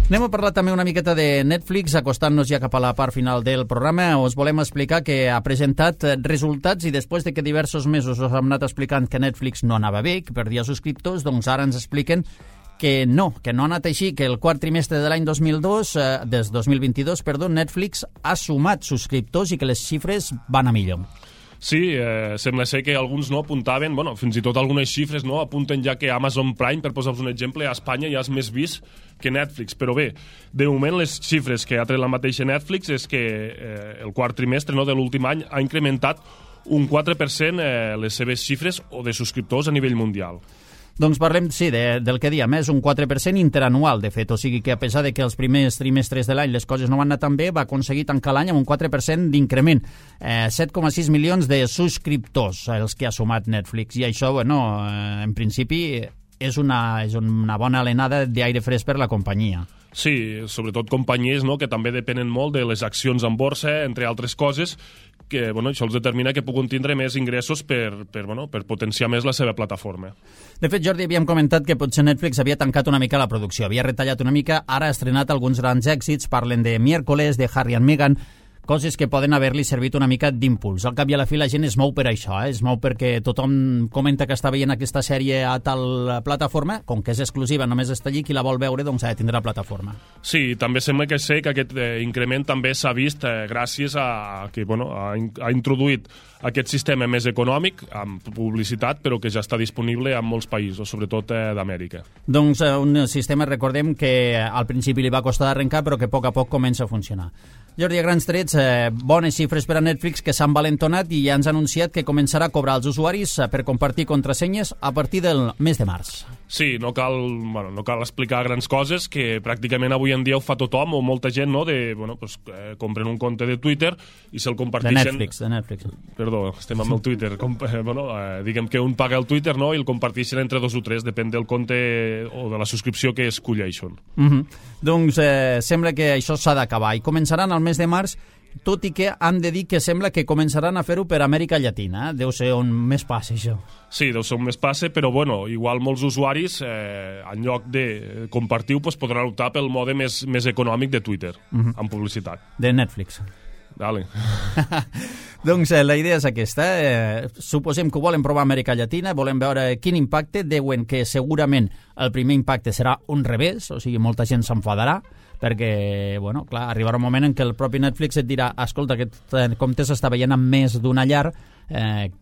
Anem a parlar també una miqueta de Netflix, acostant-nos ja cap a la part final del programa. Us volem explicar que ha presentat resultats i després de que diversos mesos us hem anat explicant que Netflix no anava bé, que perdia subscriptors, doncs ara ens expliquen que no ha anat així, que el quart trimestre de l'any 2022, Netflix ha sumat subscriptors i que les xifres van a millor. Sí, sembla ser que alguns apuntaven, fins i tot algunes xifres apunten ja que Amazon Prime, per posar-vos un exemple, a Espanya ja és més vist que Netflix. Però bé, de moment les xifres que ha tret la mateixa Netflix és que el quart trimestre de l'últim any ha incrementat un 4% les seves xifres o de subscriptors a nivell mundial. Doncs parlem, sí, del que diem, és un 4% interanual, de fet, o sigui que a pesar de que els primers trimestres de l'any les coses no van anar tan bé, va aconseguir tancar l'any amb un 4% d'increment, 7,6 milions de subscriptors els que ha sumat Netflix, i això, en principi és una bona alenada d'aire fresc per la companyia. Sí, sobretot companyies que també depenen molt de les accions en borsa, entre altres coses, que això els determina que puguin tindre més ingressos per potenciar més la seva plataforma. De fet, Jordi, havíem comentat que potser Netflix havia tancat una mica la producció, havia retallat una mica, ara ha estrenat alguns grans èxits, parlen de Miércoles, de Harry and Meghan, coses que poden haver-li servit una mica d'impuls. Al cap i a la fi la gent es mou per això, es mou perquè tothom comenta que està veient aquesta sèrie a tal plataforma, com que és exclusiva, només està allí, qui la vol veure doncs ha de tindre la plataforma. Sí, també sembla que sé que aquest increment també s'ha vist gràcies a que ha introduït aquest sistema més econòmic, amb publicitat, però que ja està disponible en molts països, sobretot d'Amèrica. Doncs un sistema, recordem, que al principi li va costar d'arrencar, però que a poc comença a funcionar. Jordi, a grans trets, bones xifres per a Netflix, que s'han valentonat i ja ens ha anunciat que començarà a cobrar als usuaris per compartir contrasenyes a partir del mes de març. Sí, no cal explicar grans coses, que pràcticament avui en dia ho fa tothom, o molta gent, no?, compren un compte de Twitter i se'l comparteixen... De Netflix. Perdó, estem amb el Twitter. Diguem que un paga el Twitter, no?, i el comparteixen entre 2 o 3, depèn del compte o de la subscripció que escolleixen. Doncs sembla que això s'ha d'acabar i començaran al mes de març, tot i que han de dir que sembla que començaran a fer-ho per Amèrica Llatina. Deu ser on més passa, això. Sí, deu ser on més passa, però igual molts usuaris, en lloc de compartir-ho, podran optar pel mode més econòmic de Twitter, amb publicitat. De Netflix. Dale. Doncs la idea és aquesta. Suposem que ho volen provar a Amèrica Llatina, volem veure quin impacte. Diuen que segurament el primer impacte serà un revés, o sigui, molta gent s'enfadarà, perquè, clar, arribarà un moment en què el propi Netflix et dirà, escolta, aquest compte s'està veient amb més d'una llar,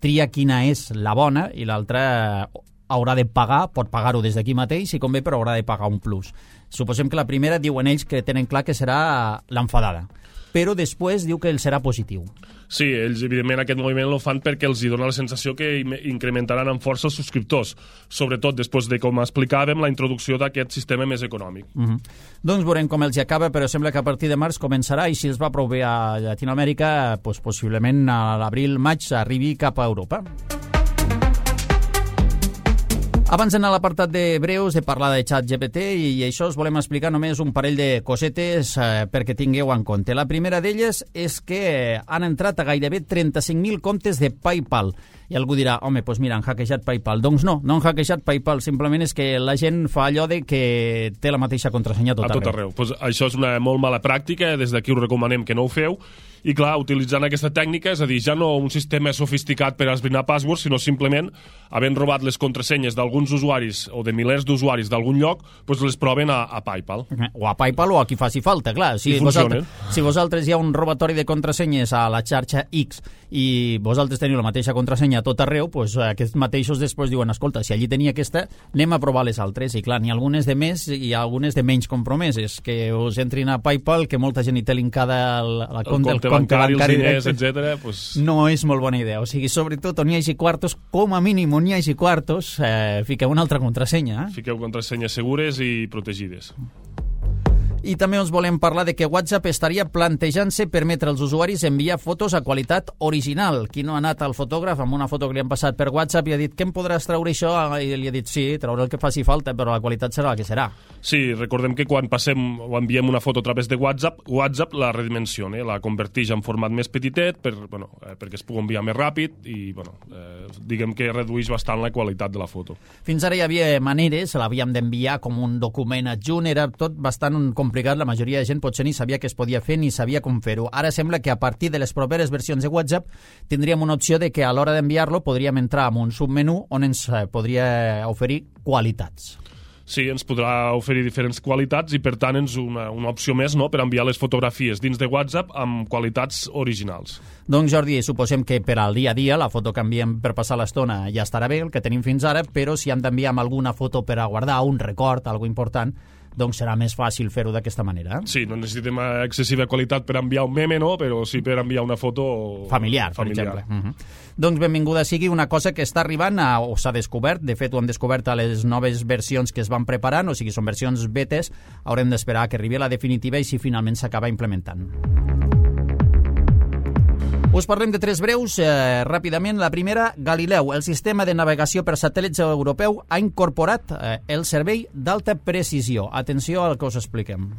tria quina és la bona i l'altra haurà de pagar, pot pagar-ho des d'aquí mateix, si convé, però haurà de pagar un plus. Suposem que la primera diuen ells que tenen clar que serà l'enfadada, però després diu que el serà positiu. Sí, ells evidentment aquest moviment el fan perquè els dona la sensació que incrementaran amb força els subscriptors, sobretot després de, com explicàvem, la introducció d'aquest sistema més econòmic. Doncs veurem com els acaba, però sembla que a partir de març començarà, i si els va prou bé a Llatinoamèrica, possiblement a l'abril-maig arribi cap a Europa. Abans d'anar a l'apartat de breus, de parlar de ChatGPT i això, us volem explicar només un parell de cosetes perquè tingueu en compte. La primera d'elles és que han entrat a gairebé 35.000 comptes de PayPal. I algú dirà, home, doncs mira, han hackejat PayPal. Doncs no han hackejat PayPal, simplement és que la gent fa allò de que té la mateixa contrasenya a tot arreu. Pues això és una molt mala pràctica, des d'aquí us recomanem que no ho feu. I clar, utilitzant aquesta tècnica, és a dir, ja no un sistema sofisticat per esbrinar passwords, sinó simplement, havent robat les contrasenyes d'alguns usuaris o de milers d'usuaris d'algun lloc, doncs les proven a PayPal. O a PayPal o a qui faci falta, clar. Si vosaltres hi ha un robatori de contrasenyes a la xarxa X i vosaltres teniu la mateixa contrasenya a tot arreu, doncs aquests mateixos després diuen, escolta, si allí tenia aquesta, anem a provar les altres. I clar, n'hi ha algunes de més i algunes de menys compromeses, que us entrin a PayPal, que molta gent hi té linkada el compte bancari, els diners, etc. No és molt bona idea. O sigui, sobretot on hi hagi quartos, com a mínim on hi hagi quartos, fiqueu una altra contrasenya. Fiqueu contrasenyes segures i protegides. I també us volem parlar de que WhatsApp estaria plantejant-se permetre als usuaris enviar fotos a qualitat original. Qui no ha anat al fotògraf amb una foto que li han passat per WhatsApp i ha dit, què em podràs treure això? I li ha dit, sí, treure el que faci falta, però la qualitat serà la que serà. Sí, recordem que quan passem o enviem una foto a través de WhatsApp la redimensiona, la converteix en format més petitet perquè es pugui enviar més ràpid i diguem que redueix bastant la qualitat de la foto. Fins ara hi havia maneres, l'havíem d'enviar com un document adjunt, era tot bastant complicat, la majoria de gent potser ni sabia què es podia fer ni sabia com fer-ho. Ara sembla que a partir de les properes versions de WhatsApp tindríem una opció de que a l'hora d'enviar-lo podríem entrar en un submenú on ens podria oferir qualitats. Sí, ens podrà oferir diferents qualitats i, per tant, és una opció més, no?, per enviar les fotografies dins de WhatsApp amb qualitats originals. Doncs, Jordi, suposem que per al dia a dia la foto que enviem per passar l'estona ja estarà bé, el que tenim fins ara, però si hem d'enviar alguna foto per a guardar un record, algo important, doncs serà més fàcil fer-ho d'aquesta manera. Sí, no necessitem excessiva qualitat per enviar un meme, no?, però sí per enviar una foto familiar. Per exemple. Doncs benvinguda sigui una cosa que està arribant o s'ha descobert, de fet ho hem descobert a les noves versions que es van preparant, o sigui, són versions betes, haurem d'esperar que arribi a la definitiva i si finalment s'acaba implementant. Us parlem de tres breus, ràpidament. La primera, Galileu, el sistema de navegació per satèl·lits europeu, ha incorporat el servei d'alta precisió. Atenció al que us expliquem.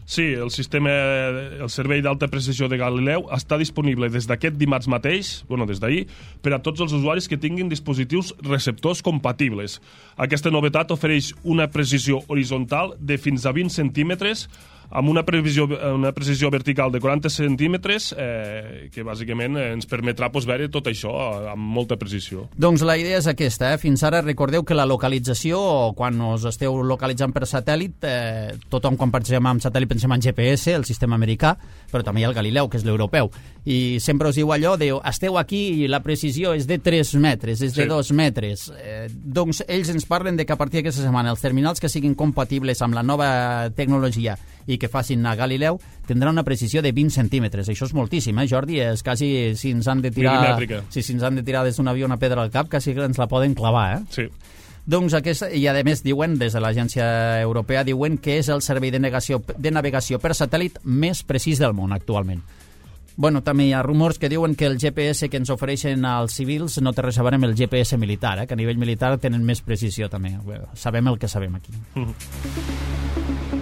Sí, el servei d'alta precisió de Galileu està disponible des d'aquest dimarts mateix, des d'ahir, per a tots els usuaris que tinguin dispositius receptors compatibles. Aquesta novetat ofereix una precisió horitzontal de fins a 20 centímetres amb una precisió vertical de 40 centímetres que bàsicament ens permetrà veure tot això amb molta precisió. Doncs la idea és aquesta. Fins ara recordeu que la localització, quan us esteu localitzant per satèl·lit, tothom quan pensem en satèl·lit pensem en GPS, el sistema americà, però també hi ha el Galileu, que és l'europeu. I sempre us diu allò, esteu aquí i la precisió és de 3 metres, és de 2 metres. Doncs ells ens parlen de que a partir d'aquesta setmana els terminals que siguin compatibles amb la nova tecnologia i que facin a Galileu tindran una precisió de 20 centímetres. Això és moltíssim, Jordi? És quasi si ens han de tirar des d'un avió una pedra al cap, quasi ens la poden clavar, Sí. Doncs i a més diuen, des de l'agència europea, diuen que és el servei de navegació per satèl·lit més precís del món actualment. Bueno, també hi ha rumors que diuen que el GPS que ens ofereixen als civils no té res a veure amb el GPS militar, que a nivell militar tenen més precisió també. Sabem el que sabem aquí.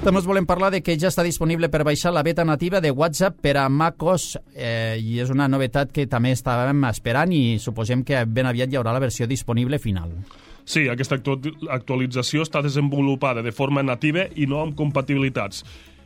També us volem parlar de que ja està disponible per baixar la beta nativa de WhatsApp per a macOS i és una novetat que també estàvem esperant i suposem que ben aviat hi haurà la versió disponible final. Sí, aquesta actualització està desenvolupada de forma nativa i no amb compatibilitats.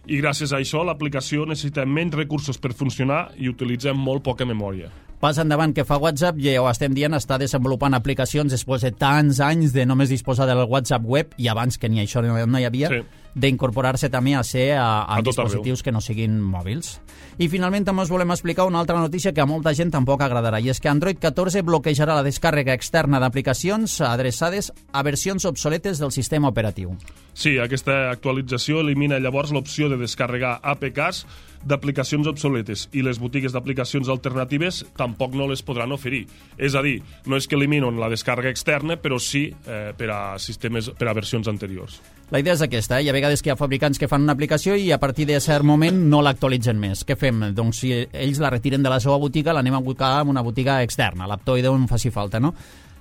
I gràcies a això l'aplicació necessita menys recursos per funcionar i utilitza molt poca memòria. Pas endavant que fa WhatsApp, ja ho estem dient, està desenvolupant aplicacions després de tants anys de només disposar del WhatsApp web i abans que ni això no hi havia, d'incorporar-se també a ser a dispositius que no siguin mòbils. I finalment també us volem explicar una altra notícia que a molta gent tampoc agradarà, i és que Android 14 bloquejarà la descàrrega externa d'aplicacions adreçades a versions obsoletes del sistema operatiu. Sí, aquesta actualització elimina llavors l'opció de descarregar APKs d'aplicacions obsoletes i les botigues d'aplicacions alternatives tampoc no les podran oferir. És a dir, no és que eliminen la descàrrega externa, però sí per a versions anteriors. La idea és aquesta, Hi ha vegades que hi ha fabricants que fan una aplicació i a partir de cert moment no l'actualitzen més. Què fem? Doncs si ells la retiren de la seva botiga, l'anem a buscar en una botiga externa, l'Aptoide on faci falta, no?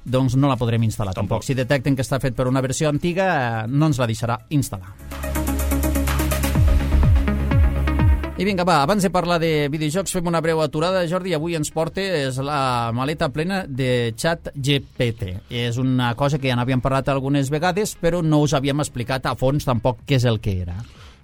Doncs no la podrem instal·lar tampoc. Si detecten que està fet per una versió antiga, no ens la deixarà instal·lar. I vinga, va, abans de parlar de videojocs fem una breu aturada. Jordi, avui ens portes la maleta plena de ChatGPT. És una cosa que ja n'havíem parlat algunes vegades, però no us havíem explicat a fons tampoc què és el que era.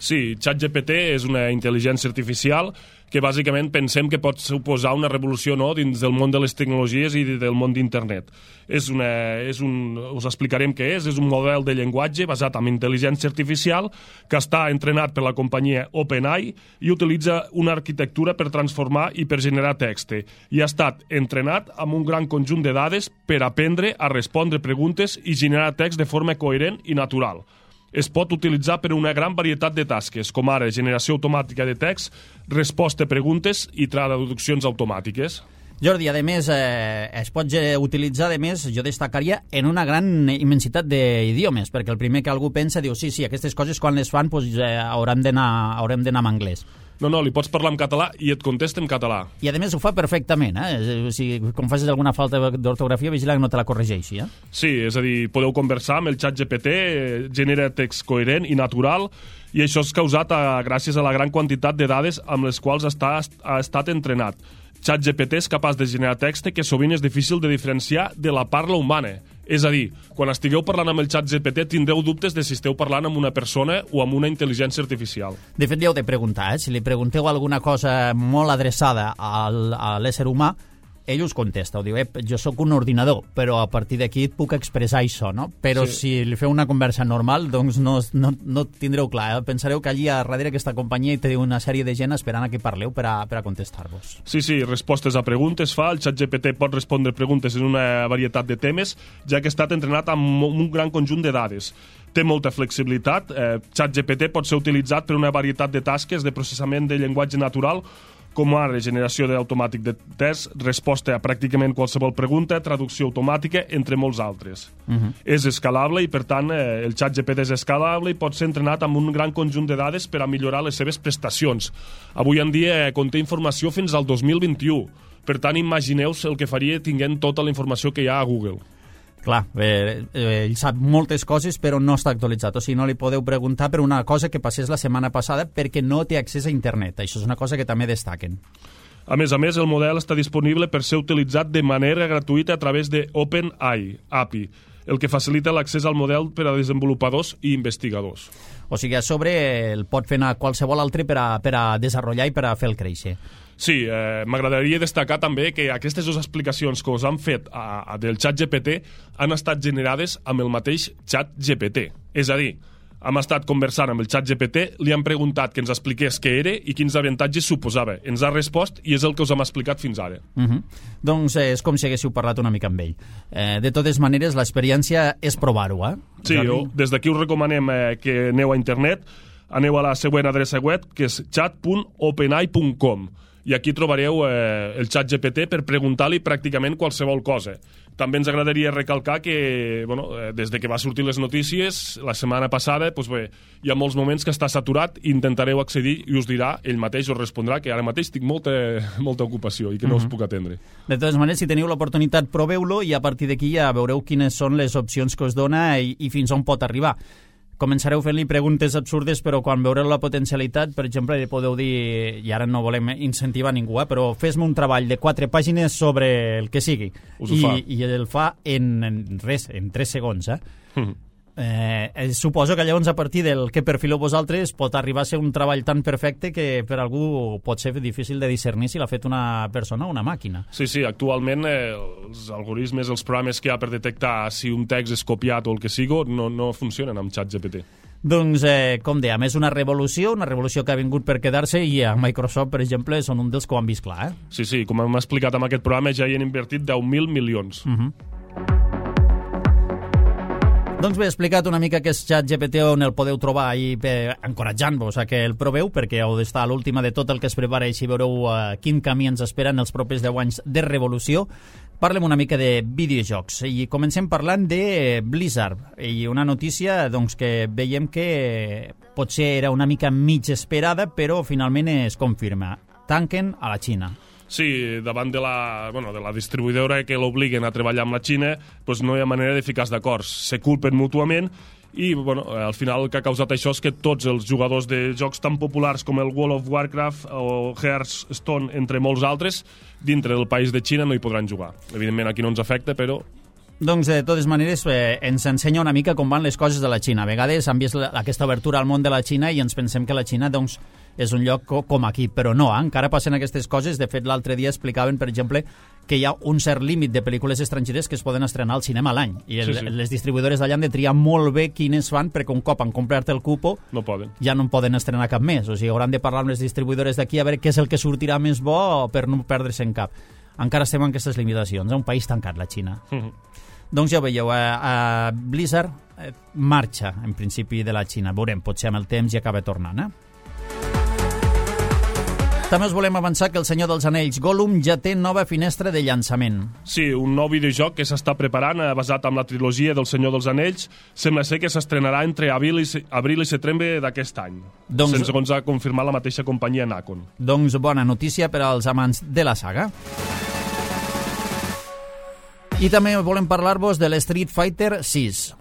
Sí, ChatGPT és una intel·ligència artificial que bàsicament pensem que pot suposar una revolució dins del món de les tecnologies i del món d'internet. Us explicarem què és un model de llenguatge basat en intel·ligència artificial que està entrenat per la companyia OpenAI i utilitza una arquitectura per transformar i per generar text. I ha estat entrenat amb un gran conjunt de dades per aprendre a respondre preguntes i generar text de forma coherent i natural. Es pot utilitzar per una gran varietat de tasques, com ara generació automàtica de text, resposta a preguntes i traduccions automàtiques. Jordi, a més, es pot utilitzar, a més, jo destacaria, en una gran immensitat d'idiomes, perquè el primer que algú pensa diu, sí, aquestes coses quan les fan haurem d'anar en anglès. No, li pots parlar en català i et contesta en català. I a més ho fa perfectament, Si com facis alguna falta d'ortografia, vigila que no te la corregeixi, Sí, és a dir, podeu conversar amb el ChatGPT, genera text coherent i natural, i això és causat gràcies a la gran quantitat de dades amb les quals ha estat entrenat. ChatGPT és capaç de generar text que sovint és difícil de diferenciar de la parla humana. És a dir, quan estigueu parlant amb el ChatGPT tindreu dubtes de si esteu parlant amb una persona o amb una intel·ligència artificial. De fet, li heu de preguntar, Si li pregunteu alguna cosa molt adreçada a l'ésser humà, ell us contesta, diu, jo sóc un ordinador, però a partir d'aquí et puc expressar això, no? Però si li feu una conversa normal, doncs no tindreu clar, Pensareu que allí a darrere aquesta companyia hi té una sèrie de gent esperant a que parleu per a contestar-vos. Sí, respostes a preguntes fa, el ChatGPT pot respondre preguntes en una varietat de temes, ja que ha estat entrenat amb un gran conjunt de dades. Té molta flexibilitat, ChatGPT pot ser utilitzat per una varietat de tasques de processament de llenguatge natural, com ara generació automàtic de text, resposta a pràcticament qualsevol pregunta, traducció automàtica, entre molts altres. És escalable i, per tant, el ChatGPT és escalable i pot ser entrenat amb un gran conjunt de dades per a millorar les seves prestacions. Avui en dia conté informació fins al 2021. Per tant, imagineu-vos el que faria tinguent tota la informació que hi ha a Google. Clar, ell sap moltes coses però no està actualitzat, o sigui, no li podeu preguntar per una cosa que passés la setmana passada perquè no té accés a internet. Això és una cosa que també destaquen. A més, el model està disponible per ser utilitzat de manera gratuïta a través de OpenAI, API. el que facilita l'accés al model per a desenvolupadors i investigadors. O sigui, a sobre el pot fer anar qualsevol altre per a desenvolupar i per a fer el créixer. Sí, m'agradaria destacar també que aquestes dues explicacions que us han fet del xat GPT han estat generades amb el mateix xat GPT. És a dir, hem estat conversant amb el xat GPT, li han preguntat que ens expliqués què era i quins avantatges suposava. Ens ha respost i és el que us hem explicat fins ara. Doncs és com si haguéssiu parlat una mica amb ell. De totes maneres, l'experiència és provar-ho, Sí, des d'aquí us recomanem que aneu a internet, aneu a la següent adreça web, que és chat.openai.com, i aquí trobareu el xat GPT per preguntar-li pràcticament qualsevol cosa. També ens agradaria recalcar que, des de que va sortir les notícies, la setmana passada, hi ha molts moments que està saturat, intentareu accedir i us dirà, ell mateix us respondrà que ara mateix tinc molta ocupació i que no us puc atendre. De totes maneres, si teniu l'oportunitat, proveu-lo i a partir d'aquí ja veureu quines són les opcions que us dona i fins on pot arribar. Començareu fent-li preguntes absurdes, però quan veureu la potencialitat, per exemple, li podeu dir, i ara no volem incentivar ningú, però fes-me un treball de 4 pàgines sobre el que sigui. I el fa en 3 segons. Suposo que llavors a partir del que perfileu vosaltres pot arribar a ser un treball tan perfecte que per algú pot ser difícil de discernir si l'ha fet una persona o una màquina. Sí, actualment els algoritmes, els programes que hi ha per detectar si un text és copiat o el que sigui, no funcionen amb ChatGPT. Doncs, com dèiem, és una revolució que ha vingut per quedar-se i a Microsoft, per exemple, són un dels que ho han vist clar. Sí, com hem explicat amb aquest programa, ja hi han invertit 10.000 milions. Doncs bé, he explicat una mica què és ChatGPT, on el podeu trobar i encoratjant-vos a que el proveu, perquè heu d'estar a l'última de tot el que es prepara i així veureu quin camí ens espera en els propers 10 anys de revolució. Parlem una mica de videojocs i comencem parlant de Blizzard i una notícia que veiem que potser era una mica mig esperada, però finalment es confirma. Tanquen a la Xina. Sí, davant de la distribuïdora que l'obliguen a treballar amb la Xina, no hi ha manera de ficar d'acords. Se culpen mútuament i al final el que ha causat això és que tots els jugadors de jocs tan populars com el World of Warcraft o Hearthstone, entre molts altres, dintre del país de Xina no hi podran jugar. Evidentment aquí no ens afecta, però... Doncs, de totes maneres, ens ensenya una mica com van les coses de la Xina. A vegades hem vist aquesta obertura al món de la Xina i ens pensem que la Xina, és un lloc com aquí, però no, encara passen aquestes coses. De fet, l'altre dia explicaven, per exemple, que hi ha un cert límit de pel·lícules estrangeres que es poden estrenar al cinema a l'any. I les distribuïdores d'allà han de triar molt bé quines fan, perquè un cop han comprat el cupo, ja no en poden estrenar cap més. O sigui, hauran de parlar amb les distribuïdores d'aquí a veure què és el que sortirà més bo per no perdre-se en cap. Encara estem en aquestes limitacions. És un país tancat, la Xina. Doncs ja ho veieu, Blizzard marxa, en principi, de la Xina. Veurem, potser amb el temps ja acaba tornant, També us volem avançar que El Senyor dels Anells Gollum ja té nova finestra de llançament. Sí, un nou videojoc que s'està preparant, basat en la trilogia del Senyor dels Anells, sembla ser que s'estrenarà entre abril i setembre d'aquest any, segons ha confirmat la mateixa companyia Nacon. Doncs bona notícia per als amants de la saga. I també volem parlar-vos de l'Street Fighter 6.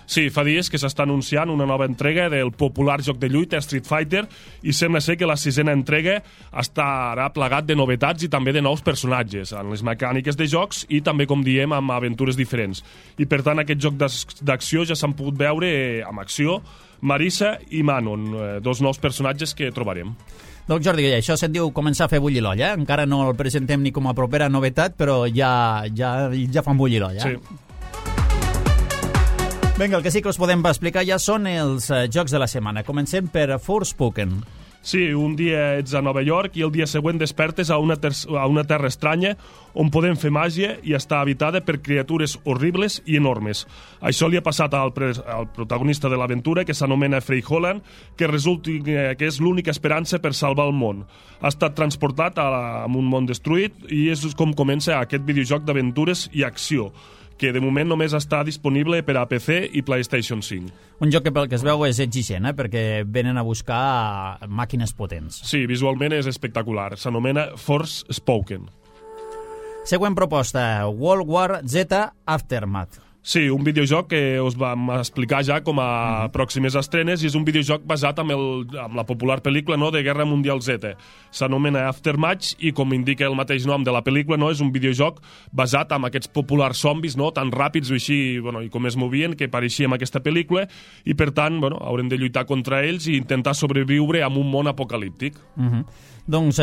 Sí, fa dies que s'està anunciant una nova entrega del popular joc de lluita Street Fighter i sembla ser que la 6a entrega estarà plagat de novetats i també de nous personatges en les mecàniques de jocs i també, com diem, amb aventures diferents. I per tant, aquest joc d'acció ja s'han pogut veure amb acció Marisa i Manon, dos nous personatges que trobarem. Doncs Jordi, això se'n diu començar a fer bullir l'olla. Encara no el presentem ni com a propera novetat, però ja fan bullir l'olla. Sí. Vinga, el que sí que us podem explicar ja són els jocs de la setmana. Comencem per Forspoken. Sí, un dia ets a Nova York i el dia següent despertes a una terra estranya on podem fer màgia i està habitada per criatures horribles i enormes. Això li ha passat al protagonista de l'aventura, que s'anomena Frey Holland, que resulta que és l'única esperança per salvar el món. Ha estat transportat a un món destruït i és com comença aquest videojoc d'aventures i acció, que de moment només està disponible per a PC i PlayStation 5. Un joc que pel que es veu és exigent, perquè venen a buscar màquines potents. Sí, visualment és espectacular. S'anomena Forspoken. Següent proposta, World War Z Aftermath. Sí, un videojoc que us vam explicar ja com a pròximes estrenes, i és un videojoc basat amb la popular pel·lícula, no?, de Guerra Mundial Z. S'anomena Aftermath i, com indica el mateix nom de la pel·lícula, no?, és un videojoc basat en aquests populars zombis, no?, tan ràpids i així, i com es movien, que pareixia en aquesta pel·lícula, i per tant, haurem de lluitar contra ells i intentar sobreviure en un món apocalíptic. Doncs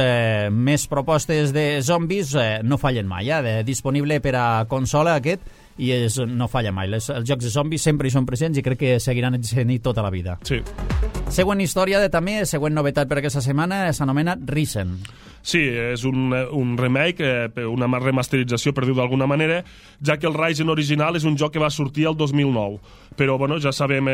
més propostes de zombis no fallen mai, disponible per a consola aquest, i no falla mai. Els jocs de zombis sempre hi són presents i crec que seguiran sent-hi tota la vida. Sí. Següent història també, següent novetat per aquesta setmana, s'anomena Risen. Sí, és un remake, una remasterització, per dir-ho d'alguna manera, ja que el Risen original és un joc que va sortir el 2009. Però ja sabem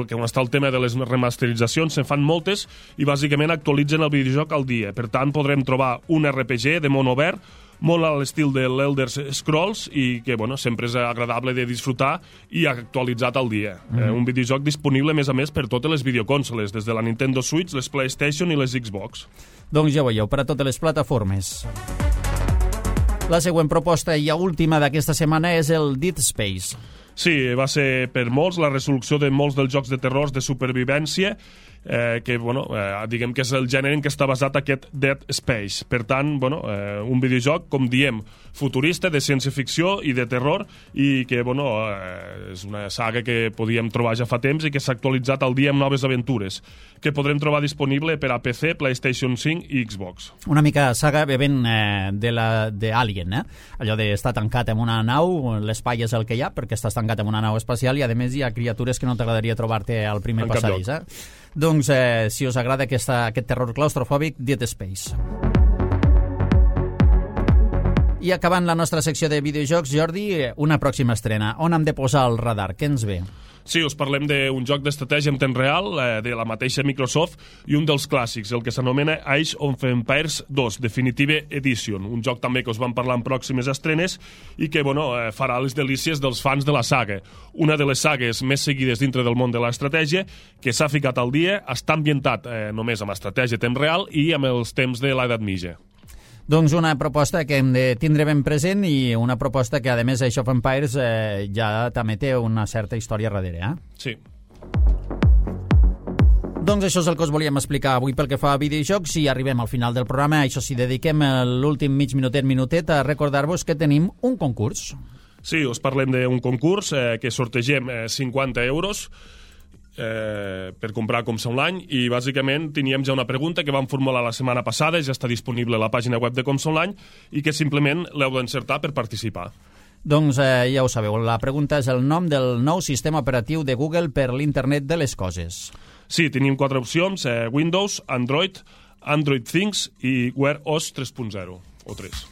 que on està el tema de les remasteritzacions, se'n fan moltes i bàsicament actualitzen el videojoc al dia. Per tant, podrem trobar un RPG de món obert, molt a l'estil de l'Elder Scrolls i que sempre és agradable de disfrutar i actualitzat al dia. Un videojoc disponible, a més, per totes les videoconsoles, des de la Nintendo Switch, les PlayStation i les Xbox. Doncs ja ho veieu, per a totes les plataformes. La següent proposta i última d'aquesta setmana és el Dead Space. Sí, va ser per molts la resolució de molts dels jocs de terror de supervivència, que diguem que és el gènere en què està basat aquest Dead Space. Per tant, un videojoc, com diem, futurista, de ciència-ficció i de terror, i que és una saga que podíem trobar ja fa temps i que s'ha actualitzat al dia amb noves aventures, que podrem trobar disponible per a PC, PlayStation 5 i Xbox. Una mica saga bevent d'Alien, allò d'estar tancat en una nau, l'espai és el que hi ha, perquè estàs tancat en una nau espacial i, a més, hi ha criatures que no t'agradaria trobar-te al primer passadís. Doncs, si us agrada aquest terror claustrofòbic, Dead Space. I acabant la nostra secció de videojocs, Jordi, una pròxima estrena. On hem de posar el radar? Què ens ve? Sí, us parlem d'un joc d'estratègia en temps real, de la mateixa Microsoft, i un dels clàssics, el que s'anomena Age of Empires 2, Definitive Edition, un joc també que us vam parlar en pròximes estrenes i que farà les delícies dels fans de la saga. Una de les sagues més seguides dintre del món de l'estratègia, que s'ha ficat al dia, està ambientat només amb estratègia a temps real i amb els temps de l'edat mitja. Doncs una proposta que hem de tindre ben present i una proposta que, a més, Age of Empires ja també té una certa història darrere, Sí. Doncs això és el que us volíem explicar avui pel que fa a videojocs i arribem al final del programa. Això sí, dediquem l'últim minutet a recordar-vos que tenim un concurs. Sí, us parlem d'un concurs que sortegem 50 euros per comprar Com Sa Online, i bàsicament teníem ja una pregunta que vam formular la setmana passada, ja està disponible a la pàgina web de Com Sa Online, i que simplement l'heu d'encertar per participar. Doncs ja ho sabeu, la pregunta és el nom del nou sistema operatiu de Google per l'internet de les coses. Sí, tenim 4 opcions, Windows, Android, Android Things i Wear OS 3.0 o 3.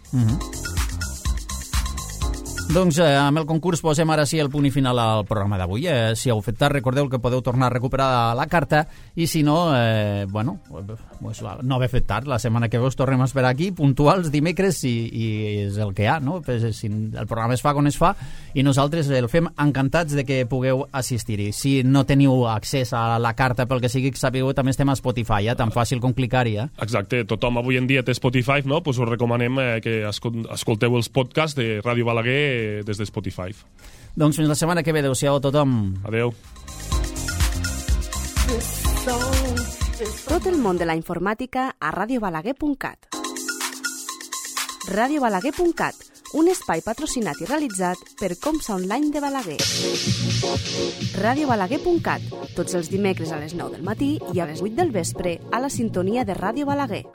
Doncs amb el concurs posem ara sí el punt i final al programa d'avui. Si heu fet tard, recordeu que podeu tornar a recuperar la carta, i si no, no haver fet tard, la setmana que ve us tornem a esperar aquí, puntuals, dimecres, i és el que hi ha, no? El programa es fa quan es fa i nosaltres el fem encantats de que pugueu assistir-hi. Si no teniu accés a la carta, pel que sigui, sapigueu, també estem a Spotify, tan fàcil com clicar-hi. Exacte, tothom avui en dia té Spotify, no? Pues us recomanem que escolteu els podcasts de Ràdio Balaguer des de Spotify. Doncs fins la setmana que ve. Adéu-siau a tothom. Adéu. Tot el món de la informàtica a radiobalaguer.cat. Radiobalaguer.cat, un espai patrocinat i realitzat per Com Sa Online de Balaguer. Radiobalaguer.cat, tots els dimecres a les 9 del matí i a les 8 del vespre a la sintonia de Ràdio Balaguer.